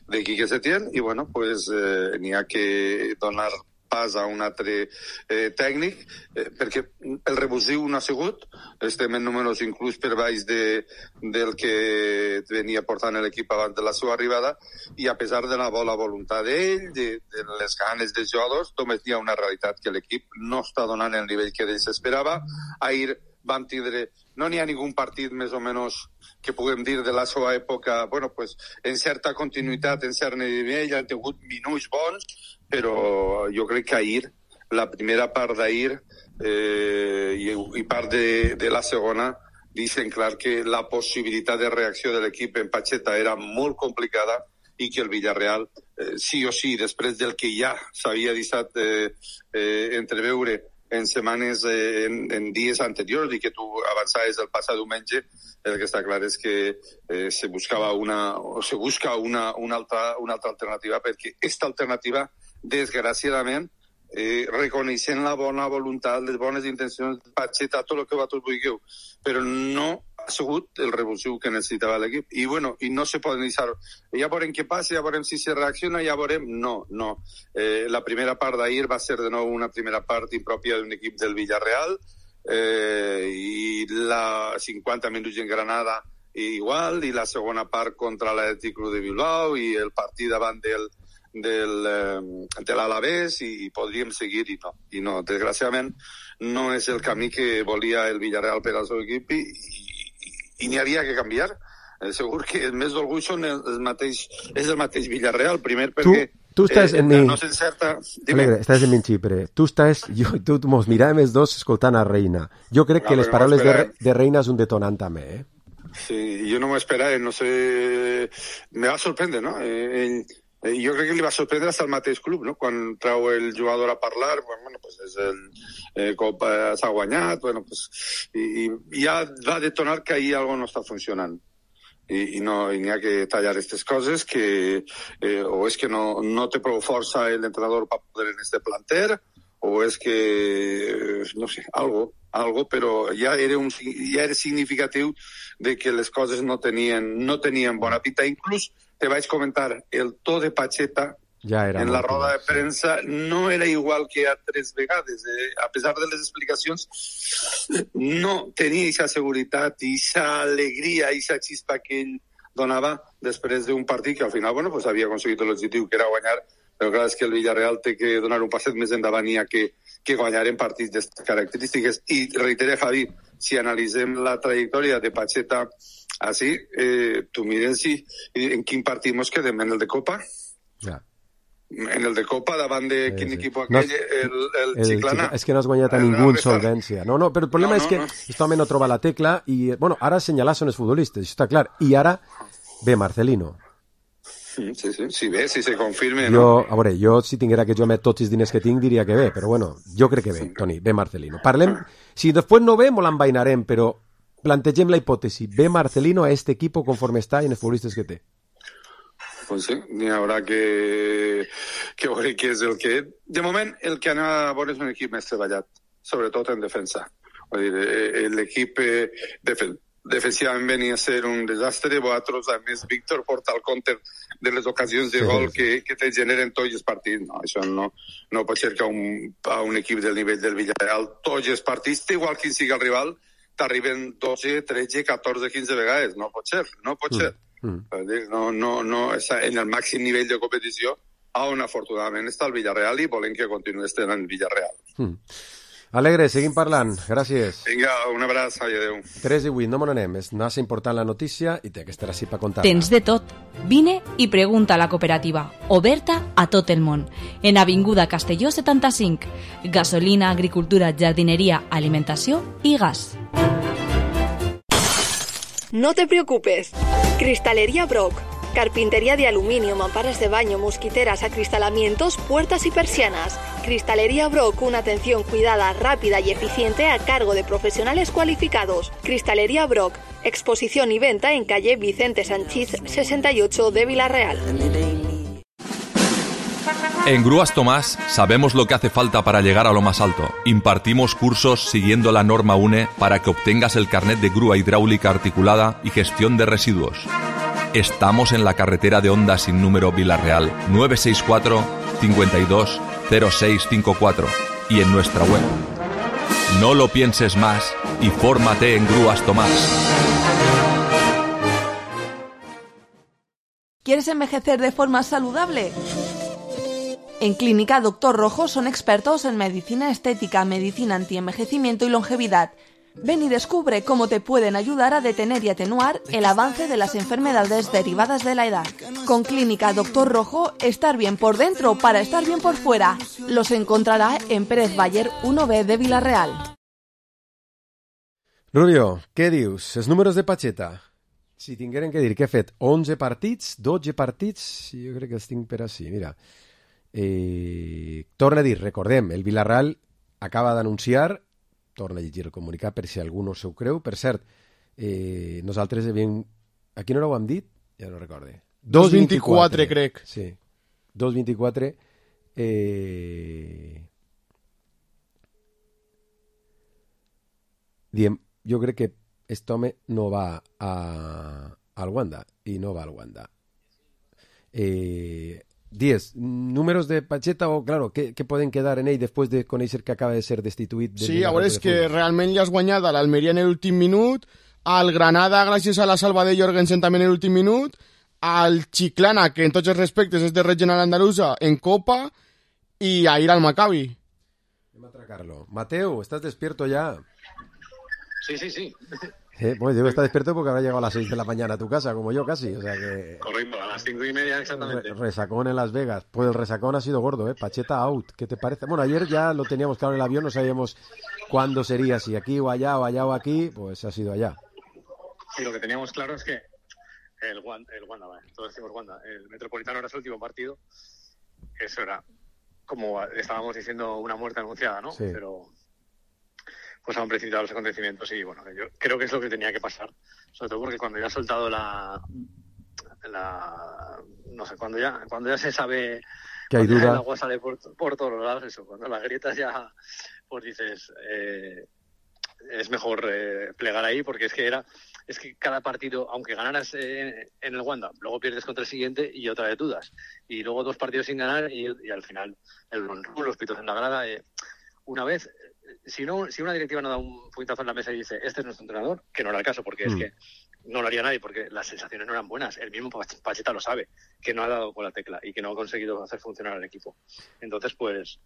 de Quique Setién, i bueno, pues eh, n'hi ha que donar pas a un altre eh, tècnic, eh, perquè el revulsiu no ha sigut, estem en números inclús per baix de, del que venia portant l'equip abans de la seva arribada, i a pesar de la bona voluntat d'ell, de, de les ganes dels jugadors, només hi ha una realitat, que l'equip no està donant el nivell que ells esperava. Ahir vam tindre, no n'hi ha ningú partit més o menys que puguem dir de la seva època, bueno, pues, en certa continuïtat, en cert nivell, han tingut minuts bons, però jo crec que ahir, la primera part d'ahir eh, i, i part de, de la segona, deixen clar que la possibilitat de reacció de l'equip en Pacheta era molt complicada i que el Villarreal, eh, sí o sí, després del que ja s'havia deixat eh, eh, entreveure en setmanes, eh, en, en dies anteriors, i que tu avançaves el passat diumenge, el que està clar és que eh, se buscava una, o se busca una, una, altra, una altra alternativa, perquè aquesta alternativa, desgraciadament, eh, reconeixent la bona voluntat, les bones intencions de Pacheta, tot el que vosaltres vulgueu, però no ha sigut el revulsiu que necessitava l'equip. I bueno, i no se poden deixar, ja veurem què passa, ja veurem si se reacciona, ja veurem, no, no. Eh, la primera part d'ahir va ser de nou una primera part impròpia d'un equip del Villarreal, eh, i la cinquanta minuts en Granada igual, i la segona part contra l'Atlètic Club de Bilbao, i el partit davant del del, eh, de l'Alavés, i, i podríem seguir, i no, i no, desgraciadament no és el camí que volia el Villarreal per al seu equip, i, i, i n'hi havia que canviar. Eh, segur que el més d'orgull són el, el mateix, és el mateix Villarreal, primer perquè tu, tu estàs eh, en mi... no s'encerta... Alegre, estàs en mi xipre. Tu estàs, jo, tu mos miràvem els dos escoltant a Reina. Jo crec no, que les paraules no de, de Reina és un detonant també, eh? Sí, jo no m'ho esperava, no sé... Me va sorprendre, no? Eh, ell... Jo crec que li va sorprendre fins al mateix club, no? Quan trau el jugador a parlar, bueno, pues és el eh, cop eh, s'ha guanyat, bueno, pues, i, i ja va detonar que ahir algo no està funcionant. I, i no i n'hi ha que tallar aquestes coses, que eh, o és que no, no té prou força l'entrenador per poder en este planter, o és que, no sé, algo, algo, però ja era, un, ja era significatiu de que les coses no tenien, no tenien bona pinta. Inclús te vaig comentar, el to de Pacheta ja era en la roda de premsa no era igual que altres vegades. Eh? A pesar de les explicacions, no tenia aquesta seguretat, aquesta alegria, aquesta xispa que ell donava després d'un partit que al final, bueno, pues havia aconseguit l'objectiu, que era guanyar Però clar, és que el Villarreal té que donar un passet més endavant i ha que, que guanyar en partits d'aquestes característiques. I reitere, Javi, si analitzem la trajectòria de Pacheta així, eh, tu mires si, en quin partit mos quedem, en el de Copa? Ja. En el de Copa, davant de Sí, quin sí. equip No aquell, has- el, el, El Chiclana. Chiclana, és que no has guanyat a El ningú en Real solvència. No, no, però el problema No, és no, que no. aquest home no troba la tecla i, bueno, ara assenyalar són els futbolistes, això està clar. I ara ve Marcelino. Sí, sí, sí, si bé, si se confirme, Jo, no? a veure, jo si tinguera que jo met tots els diners que tinc diria que ve, però bueno, jo crec que ve, Toni, ve Marcelino. Parlem, si després no ve, mo l'envainarem, però plantegem la hipòtesi, ve Marcelino a este equipo conforme està i en els futbolistes que té. Pues sí, n'hi haurà que, que veure què és el que... De moment, el que anem a veure és un equip més treballat, sobretot en defensa. Vull dir, eh, l'equip eh, defen defensivament venia a ser un desastre, vosaltres, a més, Víctor porta el compte de les ocasions de Sí, gol sí. que, que te generen tots els partits. No, això no, no pot ser que a un, a un equip del nivell del Villarreal tots els partits, igual quin sigui el rival, t'arriben dotze, tretze, catorze, quinze vegades. No pot ser, no pot ser. Mm. Vull dir, No, no, no, està en el màxim nivell de competició, on afortunadament està el Villarreal i volem que continuï estant en el Villarreal. Mm. Alegre, seguim parlant, gràcies. Vinga, un abraç, ai, adéu. tres i vuit, no me n'anem, és massa important la notícia i té que estar així per contar-la. Tens de tot. Vine i pregunta a la cooperativa, oberta a tot el món. En Avinguda Castelló setanta-cinc. Gasolina, agricultura, jardineria, alimentació i gas. No te preocupes. Cristalería Brock. Carpintería de aluminio, mamparas de baño, mosquiteras, acristalamientos, puertas y persianas. Cristalería Brock, una atención cuidada, rápida y eficiente a cargo de profesionales cualificados. Cristalería Brock, exposición y venta en calle Vicente Sanchís sesenta y ocho de Villarreal. En Grúas Tomás sabemos lo que hace falta para llegar a lo más alto. Impartimos cursos siguiendo la norma UNE para que obtengas el carnet de grúa hidráulica articulada y gestión de residuos. Estamos en la carretera de Honda sin número Villarreal, nueve seis cuatro, cincuenta y dos, cero seis cinco cuatro y en nuestra web. No lo pienses más y fórmate en Grúas Tomás. ¿Quieres envejecer de forma saludable? En Clínica Doctor Rojo son expertos en medicina estética, medicina antienvejecimiento y longevidad. Ven y descubre cómo te pueden ayudar a detener y atenuar el avance de las enfermedades derivadas de la edad. Con Clínica Doctor Rojo, estar bien por dentro para estar bien por fuera. Los encontrará en Pérez Bayer uno B de Villarreal. Rubio, què dius? Els números de Pacheta. Si tingueren que dir què ha fet onze partits, dotze partits, jo crec que els tinc per així, mira. Eh, torna a dir, recordem, el Villarreal acaba d'anunciar, torna a llegir el comunicat per si algú no s'ho creu, per cert, eh, nosaltres havíem... A quina hora ho hem dit? Ja no recorde. dos vint-i-quatre, crec. Sí, dos vint-i-quatre. Eh... Diem, jo crec que este home no va a, al Wanda i no va al Wanda. Eh, diez, números de Pacheta o, claro, què, què poden quedar en ell després de conèixer que acaba de ser destituït? Del Sí, a veure, és que futbol? realment ja has guanyat a l'Almeria en l'últim minut, al Granada gràcies a la salva de Jorgensen també en l'últim minut, al Chiclana, que en tots els respectes és de regional andalusa, en Copa, i a ir al Maccabi. Anem a atracarlo. Mateo, ¿estás despierto ya? Sí, sí, sí. Eh, pues digo, está despierto porque habrá llegado a las seis de la mañana a tu casa, como yo casi, o sea que... Correcto, a las cinco y media exactamente. Re- resacón en Las Vegas. Pues el resacón ha sido gordo, ¿eh? Pacheta out. ¿Qué te parece? Bueno, ayer ya lo teníamos claro en el avión, no sabíamos cuándo sería, si aquí o allá o allá o aquí, pues ha sido allá. Sí, lo que teníamos claro es que el Wanda, el Wanda, vale, todos decimos Wanda, el Metropolitano era su último partido. Eso era, como estábamos diciendo, una muerte anunciada, ¿no? Sí. Pero pues han precipitado los acontecimientos y bueno, yo creo que es lo que tenía que pasar, sobre todo porque cuando ya ha soltado la, la no sé, cuando ya cuando ya se sabe Que hay cuando ya duda. el agua sale por, por todos los lados, eso, cuando las grietas ya, pues dices, eh, es mejor eh, plegar ahí, porque es que era, es que cada partido, aunque ganaras eh, en el Wanda, luego pierdes contra el siguiente y otra vez dudas, y luego dos partidos sin ganar y, y al final el run run, los pitos en la grada, eh, una vez, si no, si una directiva no da un puñetazo en la mesa y dice, este es nuestro entrenador, que no era el caso, porque Mm. es que no lo haría nadie porque las sensaciones no eran buenas. El mismo Pacheta lo sabe, que no ha dado con la tecla y que no ha conseguido hacer funcionar al equipo. Entonces, pues...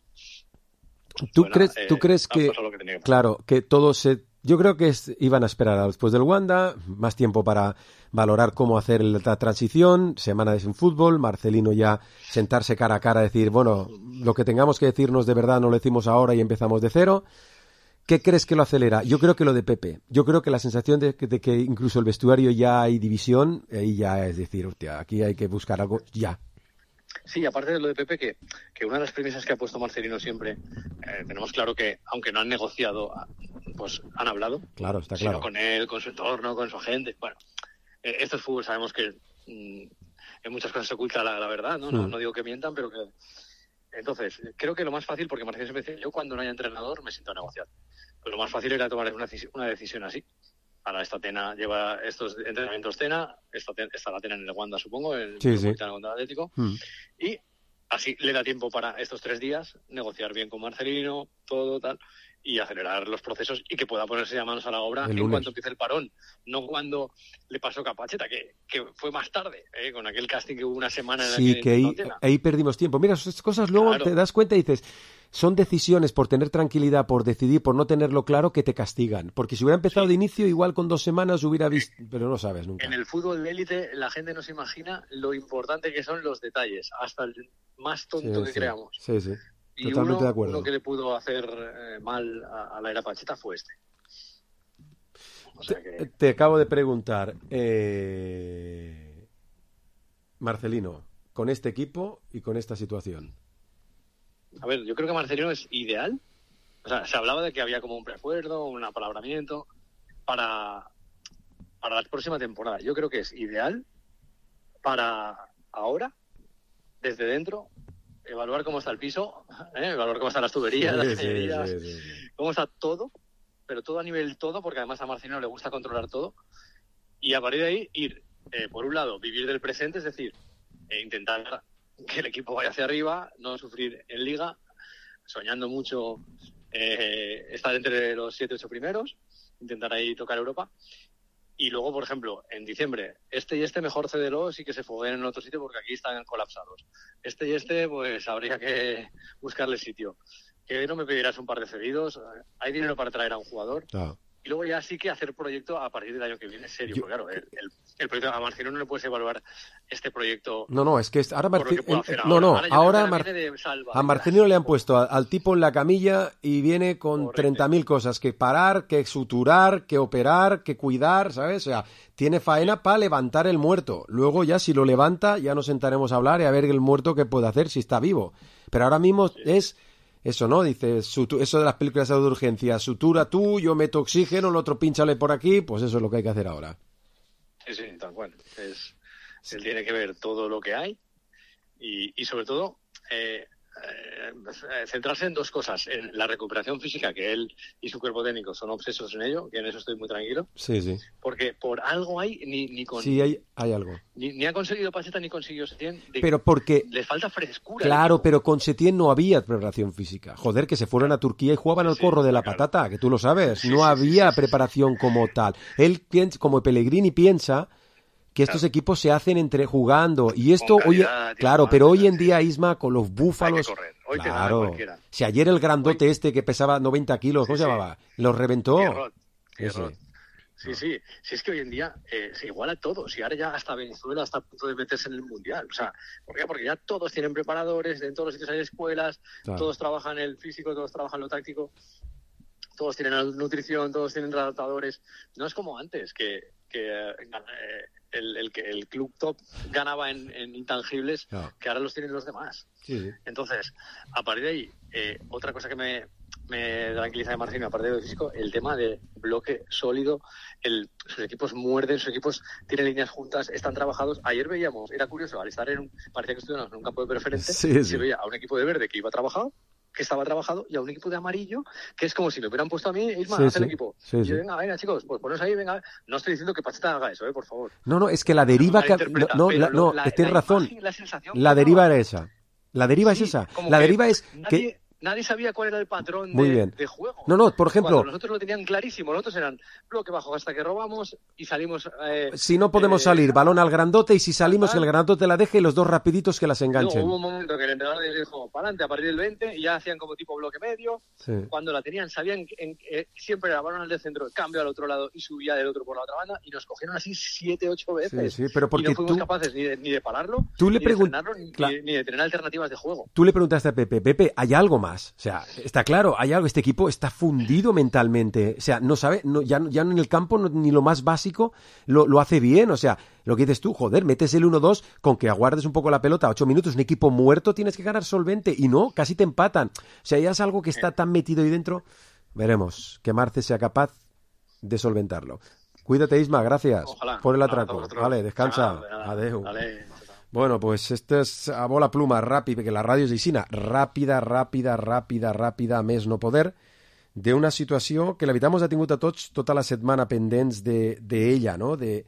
¿Tú bueno, crees, eh, ¿tú crees que, que, que claro, que todos se... Yo creo que es, iban a esperar a después del Wanda, más tiempo para valorar cómo hacer la transición, semana de sin fútbol, Marcelino ya sentarse cara a cara, decir, bueno, lo que tengamos que decirnos de verdad no lo decimos ahora y empezamos de cero. ¿Qué crees que lo acelera? Yo creo que lo de Pepe. Yo creo que la sensación de que, de que incluso el vestuario ya hay división, ahí ya es decir, hostia, aquí hay que buscar algo ya. Sí, aparte de lo de Pepe, que, que una de las premisas que ha puesto Marcelino siempre, eh, tenemos claro que, aunque no han negociado, pues han hablado. Claro, está sino claro. Con él, con su entorno, con su agente. Bueno, eh, esto es fútbol, sabemos que mmm, en muchas cosas se oculta la, la verdad, ¿no? No, Mm. no digo que mientan, pero que... Entonces, creo que lo más fácil, porque Marcelino siempre dice, yo cuando no haya entrenador me siento a negociar. Pues lo más fácil era tomar una, una decisión así. Ahora esta Tena lleva estos entrenamientos Tena, esta, está la Tena en el Wanda, supongo, en el Sí, sí. contra Atlético, Mm. y así le da tiempo para estos tres días negociar bien con Marcelino, todo tal, y acelerar los procesos y que pueda ponerse ya manos a la obra El en lunes. cuanto empiece el parón, no cuando le pasó a Pacheta, que, que fue más tarde, ¿eh? Con aquel casting que hubo una semana en la Sí, que, que ahí, no, Tena. ahí perdimos tiempo. Mira, esas cosas luego Claro. te das cuenta y dices, son decisiones por tener tranquilidad, por decidir, por no tenerlo claro, que te castigan. Porque si hubiera empezado de inicio, igual con dos semanas hubiera visto, pero no sabes nunca. En el fútbol de élite la gente no se imagina lo importante que son los detalles, hasta el más tonto Sí, que sí. creamos. Sí, sí. Y Totalmente uno, de acuerdo. uno que le pudo hacer eh, mal a, a la era Pacheta fue este. O sea que... Te acabo de preguntar, eh... Marcelino, con este equipo y con esta situación. A ver, yo creo que Marcelino es ideal. O sea, se hablaba de que había como un preacuerdo, un apalabramiento para, para la próxima temporada. Yo creo que es ideal para ahora, desde dentro, evaluar cómo está el piso, ¿eh? Evaluar cómo están las tuberías, Sí, las sí, cañerías, sí, sí, sí. cómo está todo, pero todo a nivel todo, porque además a Marcelino le gusta controlar todo. Y a partir de ahí ir, eh, por un lado, vivir del presente, es decir, eh, intentar que el equipo vaya hacia arriba, no sufrir en Liga, soñando mucho eh, estar entre los siete ocho primeros, intentar ahí tocar Europa. Y luego, por ejemplo, en diciembre, este y este mejor cédelos y que se fogueen en otro sitio porque aquí están colapsados. Este y este, pues habría que buscarle sitio. Que no me pedirás un par de cedidos, hay dinero para traer a un jugador. Claro. Y luego ya sí que hacer proyecto a partir del año que viene, serio. Porque claro, el, el, el proyecto a Marcelino no le puedes evaluar este proyecto. No, no, es que es- ahora por lo que Marce- puedo el- hacer no, no, Ahora ya ahora viene Mar- de salva. a Marcelino le han puesto a- al tipo en la camilla y viene con treinta mil cosas que parar, que suturar, que operar, que cuidar, ¿sabes? O sea, tiene faena para levantar el muerto. Luego ya si lo levanta ya nos sentaremos a hablar y a ver el muerto qué puede hacer si está vivo. Pero ahora mismo es eso, ¿no? Dice, sutu- eso de las películas de urgencia, sutura tú, yo meto oxígeno, el otro pínchale por aquí, pues eso es lo que hay que hacer ahora. Sí, sí, tal cual. Es, él tiene que ver todo lo que hay y, y sobre todo, eh, eh, centrarse en dos cosas. En la recuperación física, que él y su cuerpo técnico son obsesos en ello, que en eso estoy muy tranquilo. Sí, sí. Porque por algo hay, ni, ni con... Sí, hay, hay algo. Ni, ni ha conseguido Pacheta ni consiguió Setién. de- Pero porque- Les falta frescura. Claro, pero con Setién no había preparación física. Joder, que se fueron a Turquía y jugaban al corro de la patata, que tú lo sabes. No había preparación como tal. Él, piensa, como Pellegrini, piensa que estos equipos se hacen entre jugando. Y esto, Con hoy, calidad, claro, pero hoy en día, Isma, con los búfalos... correr. Hoy te gana claro. cualquiera. Si ayer el grandote este que pesaba noventa kilos, ¿cómo Sí, se sí. llamaba? Los reventó. Pierrot, Ese. Pierrot. Sí, sí. Si es que hoy en día eh, se iguala todo. Si ahora ya hasta Venezuela está a punto de meterse en el Mundial. O sea, ¿por qué? Porque ya todos tienen preparadores, en todos los sitios hay escuelas, Claro. todos trabajan el físico, todos trabajan lo táctico, todos tienen la nutrición, todos tienen adaptadores. No es como antes, que, que eh, el, el, que el club top ganaba en, en intangibles, Claro. que ahora los tienen los demás. Sí, sí. Entonces, a partir de ahí, eh, otra cosa que me, me tranquiliza de Marcelino, aparte de lo físico, el tema de bloque sólido, el, sus equipos muerden, sus equipos tienen líneas juntas, están trabajados. Ayer veíamos, era curioso, al estar en un, parecía que estuvieron en un campo de preferente, Sí, sí. se veía a un equipo de verde que iba trabajado, que estaba trabajado, y a un equipo de amarillo, que es como si me hubieran puesto a mí, Isma, Sí, haz el sí. equipo. Sí, y sí. yo, venga, venga, chicos, pues poneros ahí, venga. No estoy diciendo que Pacheta haga eso, eh, por favor. No, no, es que la deriva... que- No, Malinterpreta, no, pero la- no, la- tienes la razón. imagen, la sensación La que deriva daba. era esa. La deriva Sí, es esa. como La que deriva es nadie- que nadie sabía cuál era el patrón Muy de, bien. de juego. No, no, por ejemplo... Cuando nosotros lo tenían clarísimo, nosotros eran bloque bajo hasta que robamos y salimos... Eh, si no podemos eh, salir, balón al grandote, y si salimos, que el grandote la deje y los dos rapiditos que las enganchen. Luego hubo un momento que el entrenador les dijo, para adelante, a partir del veinte, y ya hacían como tipo bloque medio. Sí. Cuando la tenían, sabían que en, eh, siempre era balón al del centro, cambio al otro lado y subía del otro por la otra banda, y nos cogieron así siete, ocho veces. Sí, sí, pero porque y no fuimos tú... capaces ni de, ni de pararlo, tú le ni, de pregun... frenarlo, ni, claro. ni de tener alternativas de juego. Tú le preguntaste a Pepe, Pepe, ¿hay algo más? O sea, está claro, hay algo, este equipo está fundido mentalmente, o sea, no sabe, no, ya, ya en el campo no, ni lo más básico lo, lo hace bien, o sea, lo que dices tú, joder, metes el uno dos con que aguardes un poco la pelota, ocho minutos, un equipo muerto tienes que ganar solvente, y no, casi te empatan, o sea, ya es algo que está tan metido ahí dentro, veremos, que Marce sea capaz de solventarlo. Cuídate, Isma, gracias Ojalá. por el atraco, vale, descansa, Ah, adeu. Vale. Bueno, pues esto es a bola pluma, ràpid, perquè la ràdio és aixina, ràpida, ràpida, ràpida, ràpida, a més no poder, d'una situació que la veritat ens ha tingut a tots tota la setmana pendents d'ella, de, de no?, de,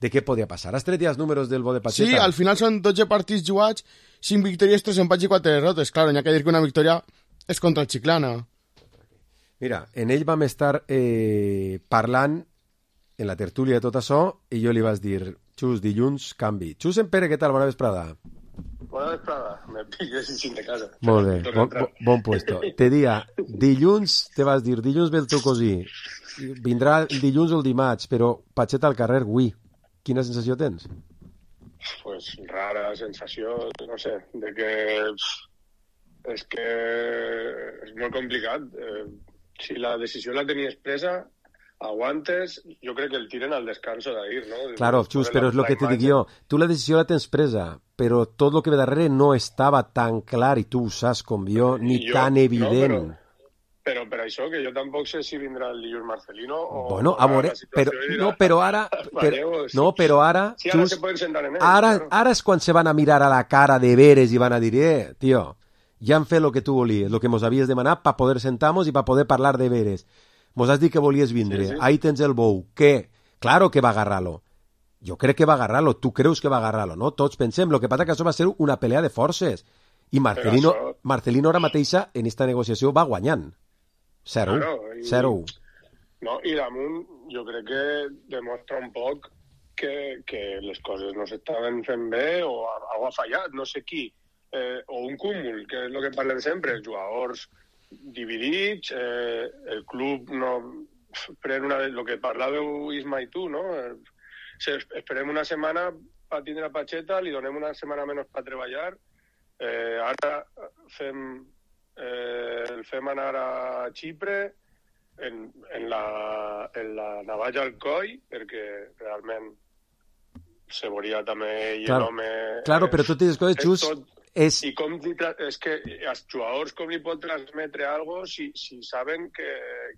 de què podia passar. Has tret ja els números del bo de Pacheta? Sí, al final són dotze partits jugats, cinc victòries, tres empats i quatre derrotes. Claro, n'hi ha que dir que una victòria és contra el Chiclana. Mira, en ell vam estar eh, parlant en la tertúlia de tot això, i jo li vas dir... Xus, dilluns, canvi. Xus en Pere, què tal? Bona vesprada. Bona vesprada. Me pilles sin de casa. Molt bé, bon, bon, bon puesto. Te dia, dilluns, te vas dir, dilluns ve el teu cosí. Vindrà el dilluns o el dimarts, però Pacheta al carrer, ui. Quina sensació tens? Pues rara sensació, no sé, de que... És que és molt complicat. Eh, si la decisió la tenies presa... aguantes, jo crec que el tiren al descanso d'ahir, ¿no? Claro, Xus, però és el que te dic jo. Tu la decisió la tens presa, però tot el que ve darrere no estava tan clar, i tu ho saps com jo, ni jo, tan evident. No, però, però per això, que jo tampoc sé si vindrà el dilluns Marcelino o... Bueno, a veure, però, no, però ara... Però, no, però ara... Sí, ara Xus, se poden sentar en ell. Ara, claro. ara és quan se van a mirar a la cara de veres i van a dir, eh, tio, ja han fet el que tu volies, el que mos havies demanat per poder sentar-nos i per poder parlar de veres. Mos has dit que volies vindre, sí, sí. Ahí tens el bou. Què? Claro que va agarrar-lo. Jo crec que va agarrar-lo, tu creus que va agarrar-lo, no? Tots pensem, el que passa que això va ser una pelea de forces. I Marcelino, això... Marcelino ara mateixa en esta negociació va guanyant. Zero. Claro, i... Zero. No, i damunt jo crec que demostra un poc que, que les coses no s'estaven fent bé o algo ha fallat, no sé qui. Eh, o un cúmul, que és el que parlem sempre, els jugadors dividits, eh, el club no pren una... El que parlàveu Isma i tu, no? Eh, esperem una setmana per tindre la Pacheta, li donem una setmana menys per treballar, eh, ara fem, eh, el fem anar a Xipre en, en, la, en la navalla al coll, perquè realment se veuria també ell claro, l'home... Claro, però tot aquestes coses, Xus... Tot, és... I com li tra... és que els jugadors com li pot transmetre algo si, si saben que,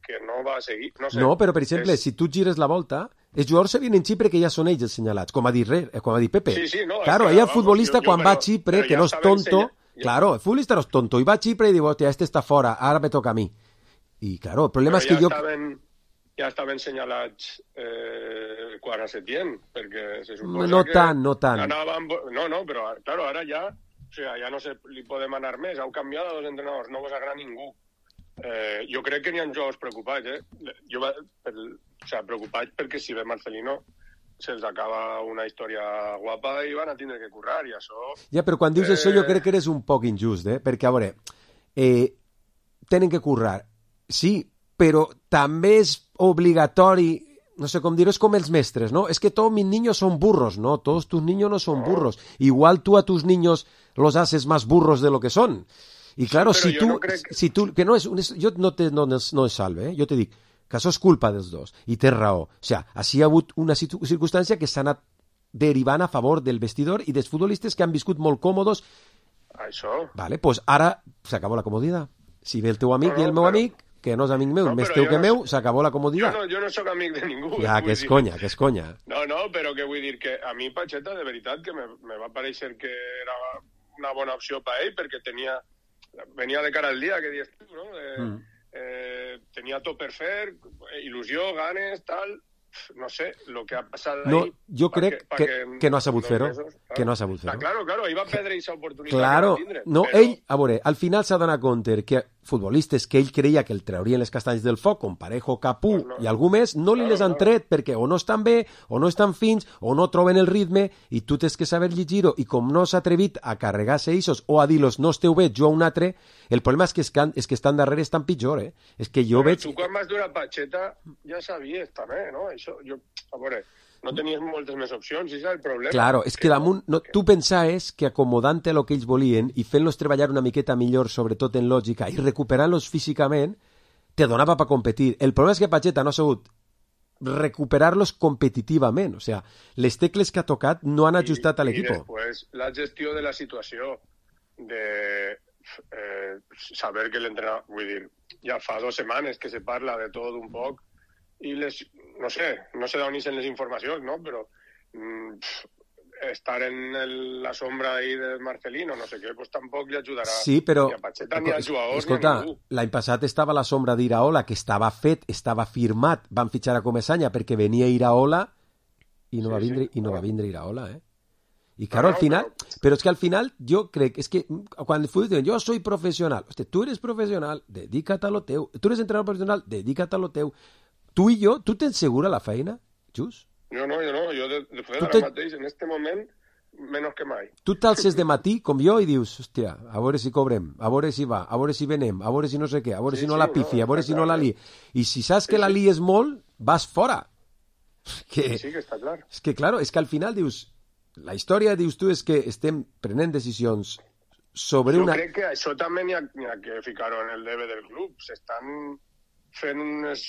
que no va a seguir? No, sé, no, però per exemple, és... si tu gires la volta, els jugadors se vienen en Xipre que ja són ells els senyalats, com ha dit, Re, com ha dit Pepe. Sí, sí, no, claro, es que, ella el vamos, futbolista jo, jo, quan però, va a Xipre, que ja no és tonto, ensenya... claro, el futbolista no és tonto, i va a Xipre i diu, hòstia, este està fora, ara me toca a mi. I claro, el problema però és que ja jo... Estaven, ja estaven senyalats eh, quan a Setién, perquè se suposa no que... tant, no tant. Anaven... No, no, però claro, ara ja... O sea, ja no se li podem anar més. Heu canviat a dos entrenadors, no vos agrada ningú. Eh, jo crec que n'hi ha jugadors preocupats, eh? Jo va, per, o sea, preocupats perquè si ve Marcelino se'ls acaba una història guapa i van a tindre que currar, i això... Ja, però quan dius eh... això jo crec que eres un poc injust, eh? Perquè, a veure, eh, tenen que currar, sí, però també és obligatori... No sé com dir, és com els mestres, ¿no? Es que todos mis niños son burros, ¿no? Todos tus niños no son burros. Igual tú a tus niños los haces más burros de lo que son. Y claro, sí, si tú, no crec... si tú, que no és, jo no te no, no es salve, eh? Jo te dic que això és culpa dels dos, i té raó. O sea, així ha hagut una circumstància que s'ha anat derivant a favor del vestidor i dels futbolistes que han viscut molt còmodos. Això. Vale, pues ara s'acabó la comoditat. Si ve el teu amic no, no, i el meu però... amic, que no és amic meu, no, més teu que no, meu, s'acabó la comoditat. Jo no, jo no sóc amic de ningú. Ja, que és conya, que és conya. No, no, però que vull dir que a mi Pacheta, de veritat, que me, me va pareixer que era una bona opció per ell, perquè tenia, venia de cara al dia, que dius tu, no? Eh, mm. eh, tenia tot per fer, il·lusió, ganes, tal, no sé, lo que ha passat no, ahí... jo crec que, que, que no ha sabut fer-ho. Mesos, claro. Que no ha sabut fer-ho. Ah, claro, claro, ahí va perdre aquesta oportunitat. Claro, que va tindre, no, però... ell, a veure, al final s'ha donat compte que futbolistes que ell creia que el traurien les castanyes del foc, com Parejo, Capú no, no. i algú més, no li Claro, les han claro. tret perquè o no estan bé, o no estan fins, o no troben el ritme, i tu tens que saber llegir-ho, i com no s'ha atrevit a carregar-se eixos o a dir-los no esteu bé, jo a un altre, el problema és que, escan, és que estan darrere estan pitjor, eh? És que jo Però veig... tu quan vas dur a Pacheta ja sabies també, no? Això, jo, a veure, no tenies moltes més opcions, i és el problema. Claro, és que damunt, no, tu pensaves que acomodant-te el que ells volien i fent-los treballar una miqueta millor, sobretot en lògica, i recuperant-los físicament, te donava per competir. El problema és que Pacheta no ha sabut recuperar-los competitivament. O sea, les tecles que ha tocat no han ajustat a l'equip. I després la gestió de la situació, de eh, saber que l'entrenador, vull dir, ja fa dues setmanes que se parla de tot un poc, i les, no sé, no sé d'on ixen les informacions, no? Però mm, estar en el, la sombra ahí de Marcelino, no sé què, pues tampoc li ajudarà sí, però, ni a Pacheta, ni als jugadors, escolta, ni a ningú. L'any passat estava la sombra d'Iraola, que estava fet, estava firmat, van fitxar a Comesaña perquè venia Iraola i no, sí, va, vindre, sí, i no va vindre Iraola, eh? I claro, no, al final, però... però és que al final jo crec, és que quan el futbol diuen, jo soy professional, hosti, tu eres professional, dedica't a lo teu, tu eres entrenador professional, dedica't a lo teu. Tu i jo, tu tens segura la feina, Xus? Jo no, jo no, jo de, de fet ara te... mateix, en este moment, menys que mai. Tu t'alces de matí, com jo, i dius, hòstia, a veure si cobrem, a veure si va, a veure si venem, a veure si no sé què, a veure sí, si no sí, la pifi, no, a veure si no la li. I si saps que sí, la li és molt, vas fora. Que... Sí, sí, que està clar. És que, claro, és que al final dius, la història, dius tu, és que estem prenent decisions sobre jo una... Jo crec que això també n'hi ha, n'hi ha que ficar-ho en el debe del club. S'estan fent unes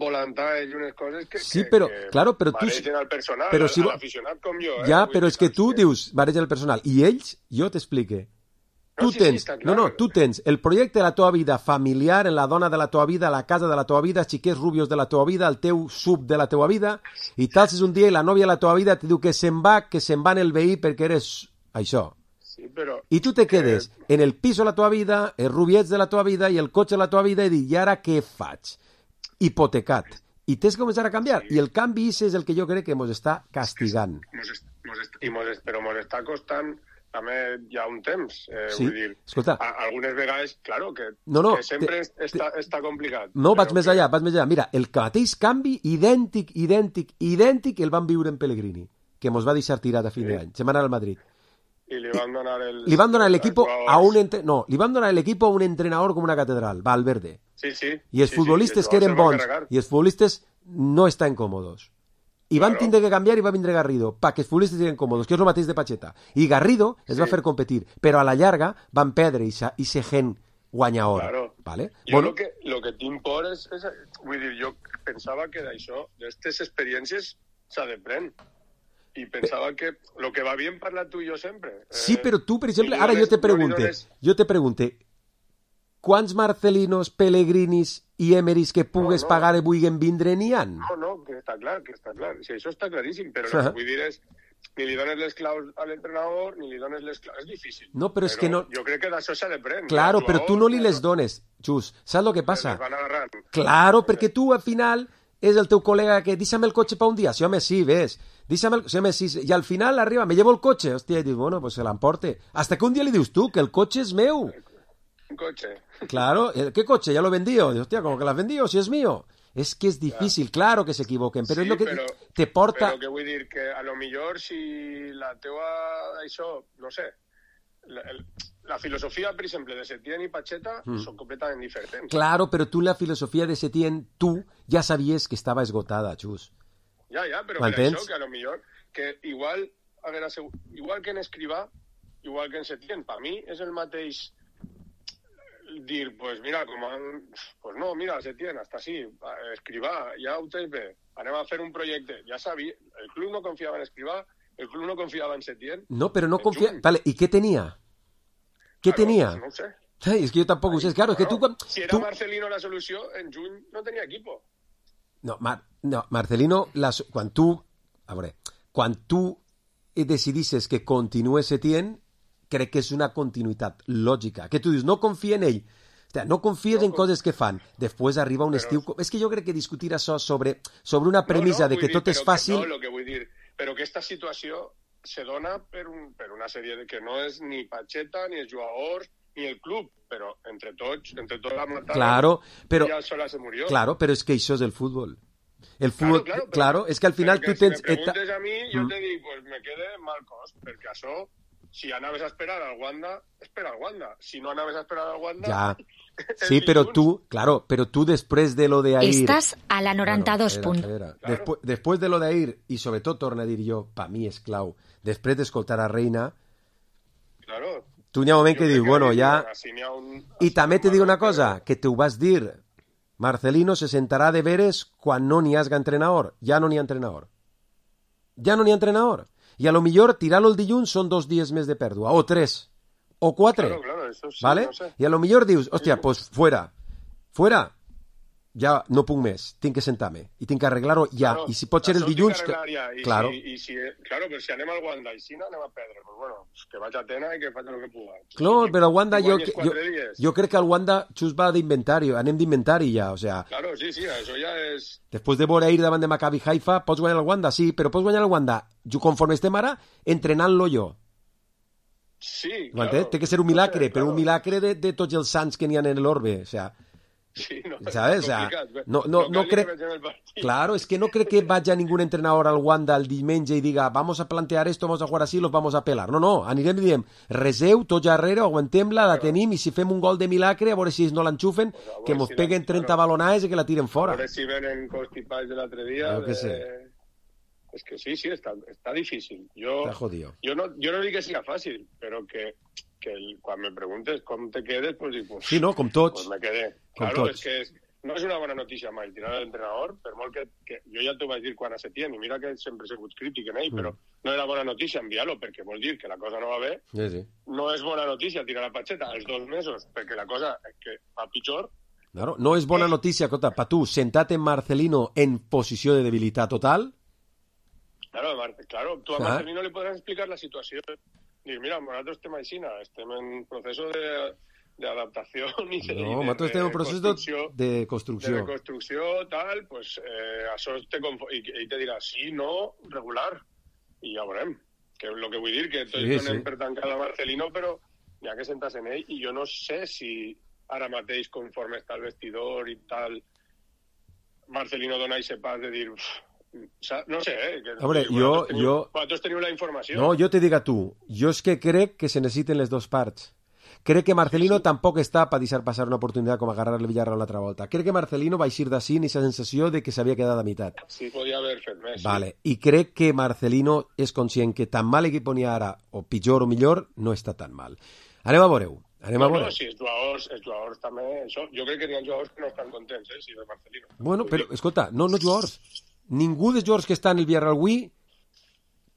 volantalles i unes coses que, sí, que, però, que claro, però maregen tu... al personal, però al, si... a l'aficionat com jo. Eh? Ja, Vull però dir, és que tu que... dius, maregen el personal, i ells, jo t'explique, tu no, sí, tens, sí, no, no, tu tens el projecte de la teva vida familiar, en la dona de la teva vida, la casa de la teva vida, xiquets rubios de la teva vida, el teu sub de la teva vida, i t'alces un dia i la nòvia de la teva vida te diu que se'n va, que se'n va en el veí perquè eres això. Sí, però... I tu te quedes que... en el pis de la teva vida, els rubiets de la teva vida i el cotxe de la teva vida i dius, i ara què faig? Hipotecat. I tens que començar a canviar. Sí. I el canvi és el que jo crec que ens està castigant. Mos est, mos est, i mos est, però ens està costant també ja un temps. Eh, sí. Vull dir, escolta. A, algunes vegades, claro, que, no, no, que sempre te, està, està complicat. No, vaig més que... allà, vaig més allà. Mira, el mateix canvi, idèntic, idèntic, idèntic, el van viure en Pellegrini, que mos va deixar tirat a fin sí. d'any. Se'n va anar al Madrid. I li van donar el... Li van donar l'equip a un entre... no, li van donar l'equip a un entrenador com una catedral, Valverde. Sí, sí. I els sí, futbolistes sí, que eren bons i els futbolistes no estan còmodos. I van claro. tindre que canviar i va vindre Garrido perquè els futbolistes eren còmodos, que és el mateix de Pacheta. I Garrido sí. es va fer competir, però a la llarga van perdre i se gent guanyador. Claro. Vale? Jo bueno, lo que, lo que tinc por és, és... Vull dir, jo pensava que d'això, d'aquestes experiències, s'ha de prendre. I pensava que lo que va bien parlar tu i jo sempre. Sí, eh, però tu, per exemple, ara jo te pregunte, dones... jo te pregunte, quants Marcelinos, Pellegrinis i Emeris que pugues no, no. pagar i vulguin vindre n'hi ha? No, no, que està clar, que està clar. Si això està claríssim, però uh -huh. vull dir és ni li dones les claus a l'entrenador, ni li dones les claus. És difícil. No, però, però és que no... Jo crec que d'això s'ha de prendre. Claro, però tu no li les dones, Xus. Saps el que passa? Les van agarrant. Claro, perquè tu, al final... és el teu col·lega que deixa'm el cotxe pa un dia, sí home, sí, ves, deixa'm el... sí, home, sí, i al final arriba, me llevo el cotxe, hòstia, i dius, bueno, pues se l'emporte, hasta que un dia li dius tu, que el cotxe és meu. Un cotxe. Claro, ¿qué coche? Ya lo he vendido. Hòstia, ¿cómo que lo has vendido? Si es mío. Es que es difícil, claro, claro que se equivoquen, però sí, és el que però, te porta... Però que vull dir que a lo millor si la teua, això, no sé, la, el, la filosofia, per exemple, de Setién i Pacheta mm. són completament diferents. Claro, però tu la filosofia de Setién, tu ja sabies que estava esgotada, Xus. Ja, ja, però per això que a lo millor, que igual, a veure, igual que en Escrivà, igual que en Setién, per mi és el mateix dir, pues mira, com han... pues no, mira, Setién, hasta sí, Escrivà, ja ho tens bé, anem a fer un projecte, ja sabia, el club no confiava en Escrivà, el club no confiava en Setién. No, però no confiava... Vale, ¿y qué tenía? ¿Qué claro, tenía? No ho sé. Ay, es que yo tampoco sé, claro, es que tú... Si era tú... Marcelino la solució, en juny no tenia equipo. No, Mar... no Marcelino, la... quan tu... A veure, quan tu decidisses que continuï Setién, crec que és una continuïtat lògica. Que tu dius, no confia en ell. Hòstia, no confies en coses que fan. Després arriba un estiu... És que jo crec que discutir això sobre, sobre una premissa no, no, de que dir, tot és fàcil... Que, no, lo que vull dir, però aquesta situació se dona per, un, per una sèrie de que no és ni Pacheta, ni els jugadors, ni el club, però entre tots, entre tots la mataron, claro, però, ja sola se murió. Claro, però és que això és el futbol. El futbol, claro, claro, claro, però, és que al final tu si tens... Si me preguntes a mi, jo mm. te dic, pues me quede mal cost, perquè això, si anaves a esperar al Wanda, espera al Wanda. Si no anaves a esperar al Wanda... Ja. Sí, però tu, claro, però tu després de lo de ahir... Estàs a la noranta-dos bueno, punt. claro. Després, després de lo de ahir, i sobretot, torna a dir jo, pa mi és clau, després d'escoltar a Reina, claro. tu n'hi ha un moment que dius, bueno, ja... Si un, I també te dic una cosa, que te ho vas dir... Marcelino se sentarà de veres quan no n'hi hagi entrenador. Ja no n'hi ha entrenador. Ja no n'hi ha entrenador. I a lo millor tirar-lo el dilluns són dos dies més de pèrdua, o tres, o quatre. Claro, claro, eso sí, ¿vale? No sé. I a lo millor dius, hòstia, pues fuera. Fuera. Ja no puc més, tinc que sentar-me i tinc que arreglar-ho ja, claro, i si pot ser el dilluns que... ja, i claro. Si, i si, claro, però si anem al Wanda i si no anem a perdre, pues bueno, que vaig a Tena i que faig el que puga. Claro, si, però el Wanda jo, jo, dies. jo crec que el Wanda just va d'inventari, anem d'inventari ja, o sea... Claro, sí, sí, això ja és... Després de veure ir davant de Maccabi Haifa, pots guanyar el Wanda, sí, però pots guanyar el Wanda, jo conforme estem ara, entrenant-lo jo. Sí, claro. Té que ser un milagre, sí, però claro. Un milagre de, de tots els sants que n'hi ha en l'orbe, o sea... Sí, no, ¿sabes? O sea, no, no, no crec... Claro, es que no crec que vaya ningún entrenador al Wanda el diumenge i diga vamos a plantear esto, vamos a jugar así, los vamos a pelar. No, no, anirem i diem reseu, tots darrere, aguantem-la, la tenim i si fem un gol de milagre, a veure si no l'enxufen, pues que mos si peguen trenta claro. balonades i que la tiren fora. A veure si venen constipats de l'altre dia. Claro que de... sé. Es que sí, sí, está, está difícil. Yo, está jodido. Yo no, yo no digo que sea fácil, pero que, que el, cuando me preguntes cómo te quedes, pues dic, pues, sí, no, com tots. Pues me quedé. Com claro, tots. es que es, no és una bona notícia mai tirar l'entrenador, per molt que, que jo ja t'ho vaig dir quan a Setién, i mira que sempre he sigut crític en ell, mm. però no era bona notícia enviar-lo perquè vol dir que la cosa no va bé. Sí, sí. No és bona notícia tirar la Pacheta als dos mesos perquè la cosa que va pitjor. Claro, no és bona notícia, Cota, pa tu, sentat en Marcelino en posició de debilitat total. Claro, Mar claro tu a ah. Marcelino li podràs explicar la situació. Dir, mira, nosaltres estem així, estem en procés de... de adaptació i de, no, de, nosaltres estem en procés de construcció de reconstrucció, tal, pues eh, això te i, i te dirà sí, no, regular, i ja veurem, que és el que vull dir, que tots sí, donem sí. per tancat a Marcelino, però hi ha que sentar-se en ell, i jo no sé si ara mateix, conforme està el vestidor i tal, Marcelino dona aquest pas de dir... No sé, eh? Que, Hombre, que jo... Vosaltres teniu, jo... vosaltres teniu la informació. No, jo te dic a tu, jo és que crec que se necessiten les dues parts. Crec que Marcelino sí, sí. tampoc està per deixar passar una oportunitat com agarrar el Villarreal l'altra volta. Crec que Marcelino va eixir d'ací amb aquesta sensació de que s'havia quedat a meitat. Sí, podia haver fet més. Vale. Sí. I crec que Marcelino és conscient que tan mal equip on hi ha ara, o pitjor o millor, no està tan mal. Anem a veure-ho. Anem no, a veure. No, si els jugadors, els jugadors també... Això, jo crec que hi ha jugadors que no estan contents, eh, si de Marcelino. Bueno, però, escolta, no, no jugadors. Ningú dels jugadors que estan en el Villarreal avui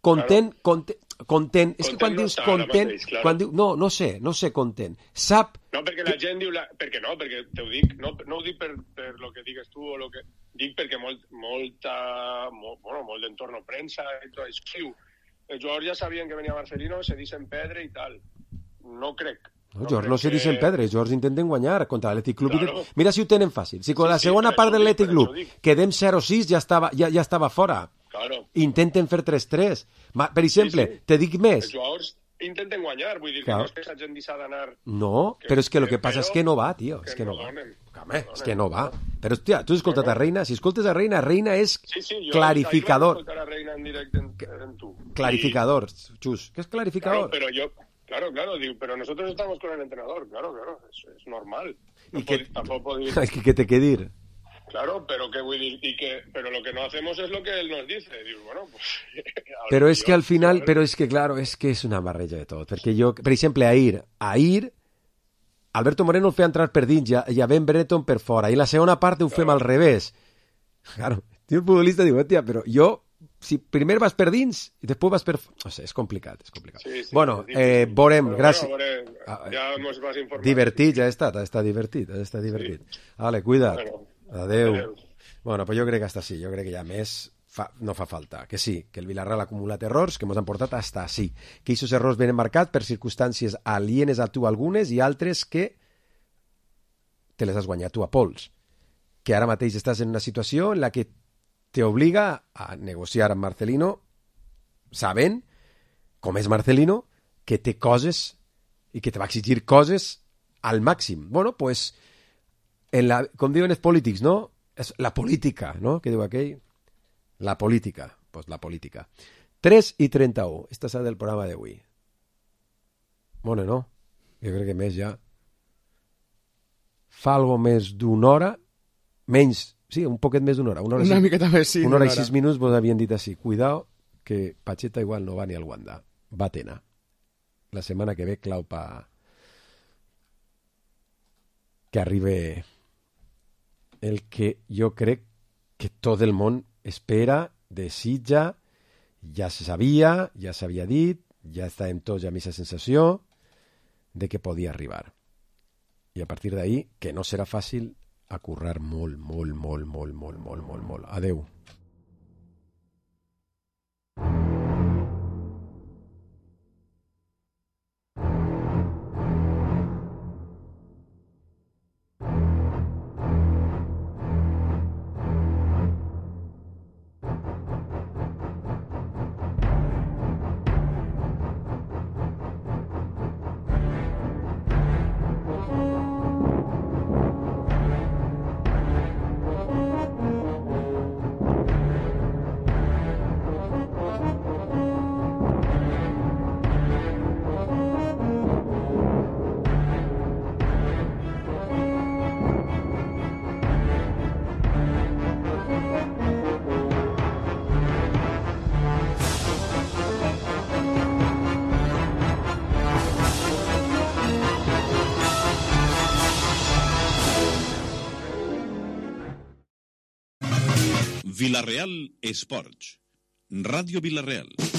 content, claro. content, content. És que quan no dius content, mateix, claro. quan diu, no, no sé, no sé content. Sap... No, perquè la gent diu... La, perquè no, perquè te ho dic, no, no ho dic per, per lo que digues tu o lo que... Dic perquè molt, molta... Molt, bueno, molt d'entorno premsa i tot això. Els jugadors ja sabien que venia Marcelino, se dicen pedre i tal. No crec. No, George no se dicen pedre, George intenten guanyar contra l'Atlètic Club. Claro. Mira si ho tenen fàcil. Si con sí, la segona sí, part de l'Atlètic Club quedem zero sis ja estava, ja, ja estava fora. Claro. Intenten fer tres tres. Per exemple, sí, sí. te dic més. Els jugadors intenten guanyar, vull dir claro. que no és que la gent deixa d'anar... No, que, però és que el que, que passa és que no va, tio. És que, que no, no va. Home, és que no va. Però, hòstia, tu has escoltat a Reina? Si escoltes a Reina, Reina és sí, sí, jo, clarificador. Jo a Reina en directe en, en tu. Clarificador, Xus. ¿Qué es clarificador? Claro, pero yo... Claro, claro, digo, pero nosotros estamos con el entrenador, claro, claro, es, es normal. No ¿Y que, tampoco podéis... Es que, que te quede ir. Claro, pero que, y que pero lo que no hacemos es lo que él nos dice. Digo, bueno, pues... Pero es que al final, pero es que claro, es que es una barreja de tot. Perquè jo, per exemple, Ahir, Ahir, Alberto Moreno el feia entrar per dins i a Ben Brereton per fora. I la segona part ho fem claro. al revés. Claro, el futbolista diu, tia, però jo... Si primer vas per dins i després vas per... No sé, és complicat, és complicat. Sí, sí, bueno, eh, veurem, gràcies. Bueno, veurem, ja mos vas informar. Divertit, ja ha estat, ha estat divertit, ha estat divertit. Sí. Vale, cuida't. Bueno, adeu. adeu. Bueno, pues jo crec que hasta sí, jo crec que ja més fa, no fa falta. Que sí, que el Villarreal ha acumulat errors que ens han portat hasta sí. Que aquests errors venen marcats per circumstàncies alienes a tu algunes i altres que te les has guanyat tu a pols. Que ara mateix estàs en una situació en la que t'obliga a negociar amb Marcelino sabent, com és Marcelino, que té coses i que te va exigir coses al màxim. Bueno, pues, en la, com diuen els polítics, no? És la política, no? Què diu aquell? La política. Pues la política. tres i trenta-u. Esta és del programa d'avui. Bueno, no. Jo crec que més ja... Fa algo més d'una hora, menys, sí, un poquet més d'una hora. Una, hora una sis, miqueta més, sí. Una hora i sis minuts vos havien dit així. Cuidao, que Pacheta igual no va ni al Wanda. Va a Tena. La setmana que ve clau pa... que arribe el que jo crec que tot el món espera, desitja, ja se sabia, ja s'havia dit, ja estàvem tots amb aquesta sensació de que podia arribar. I a partir d'ahí, que no serà fàcil, a currar molt, molt, molt, molt, molt, molt, molt, molt. Adeu. Vilareal Esports. Ràdio Vilareal.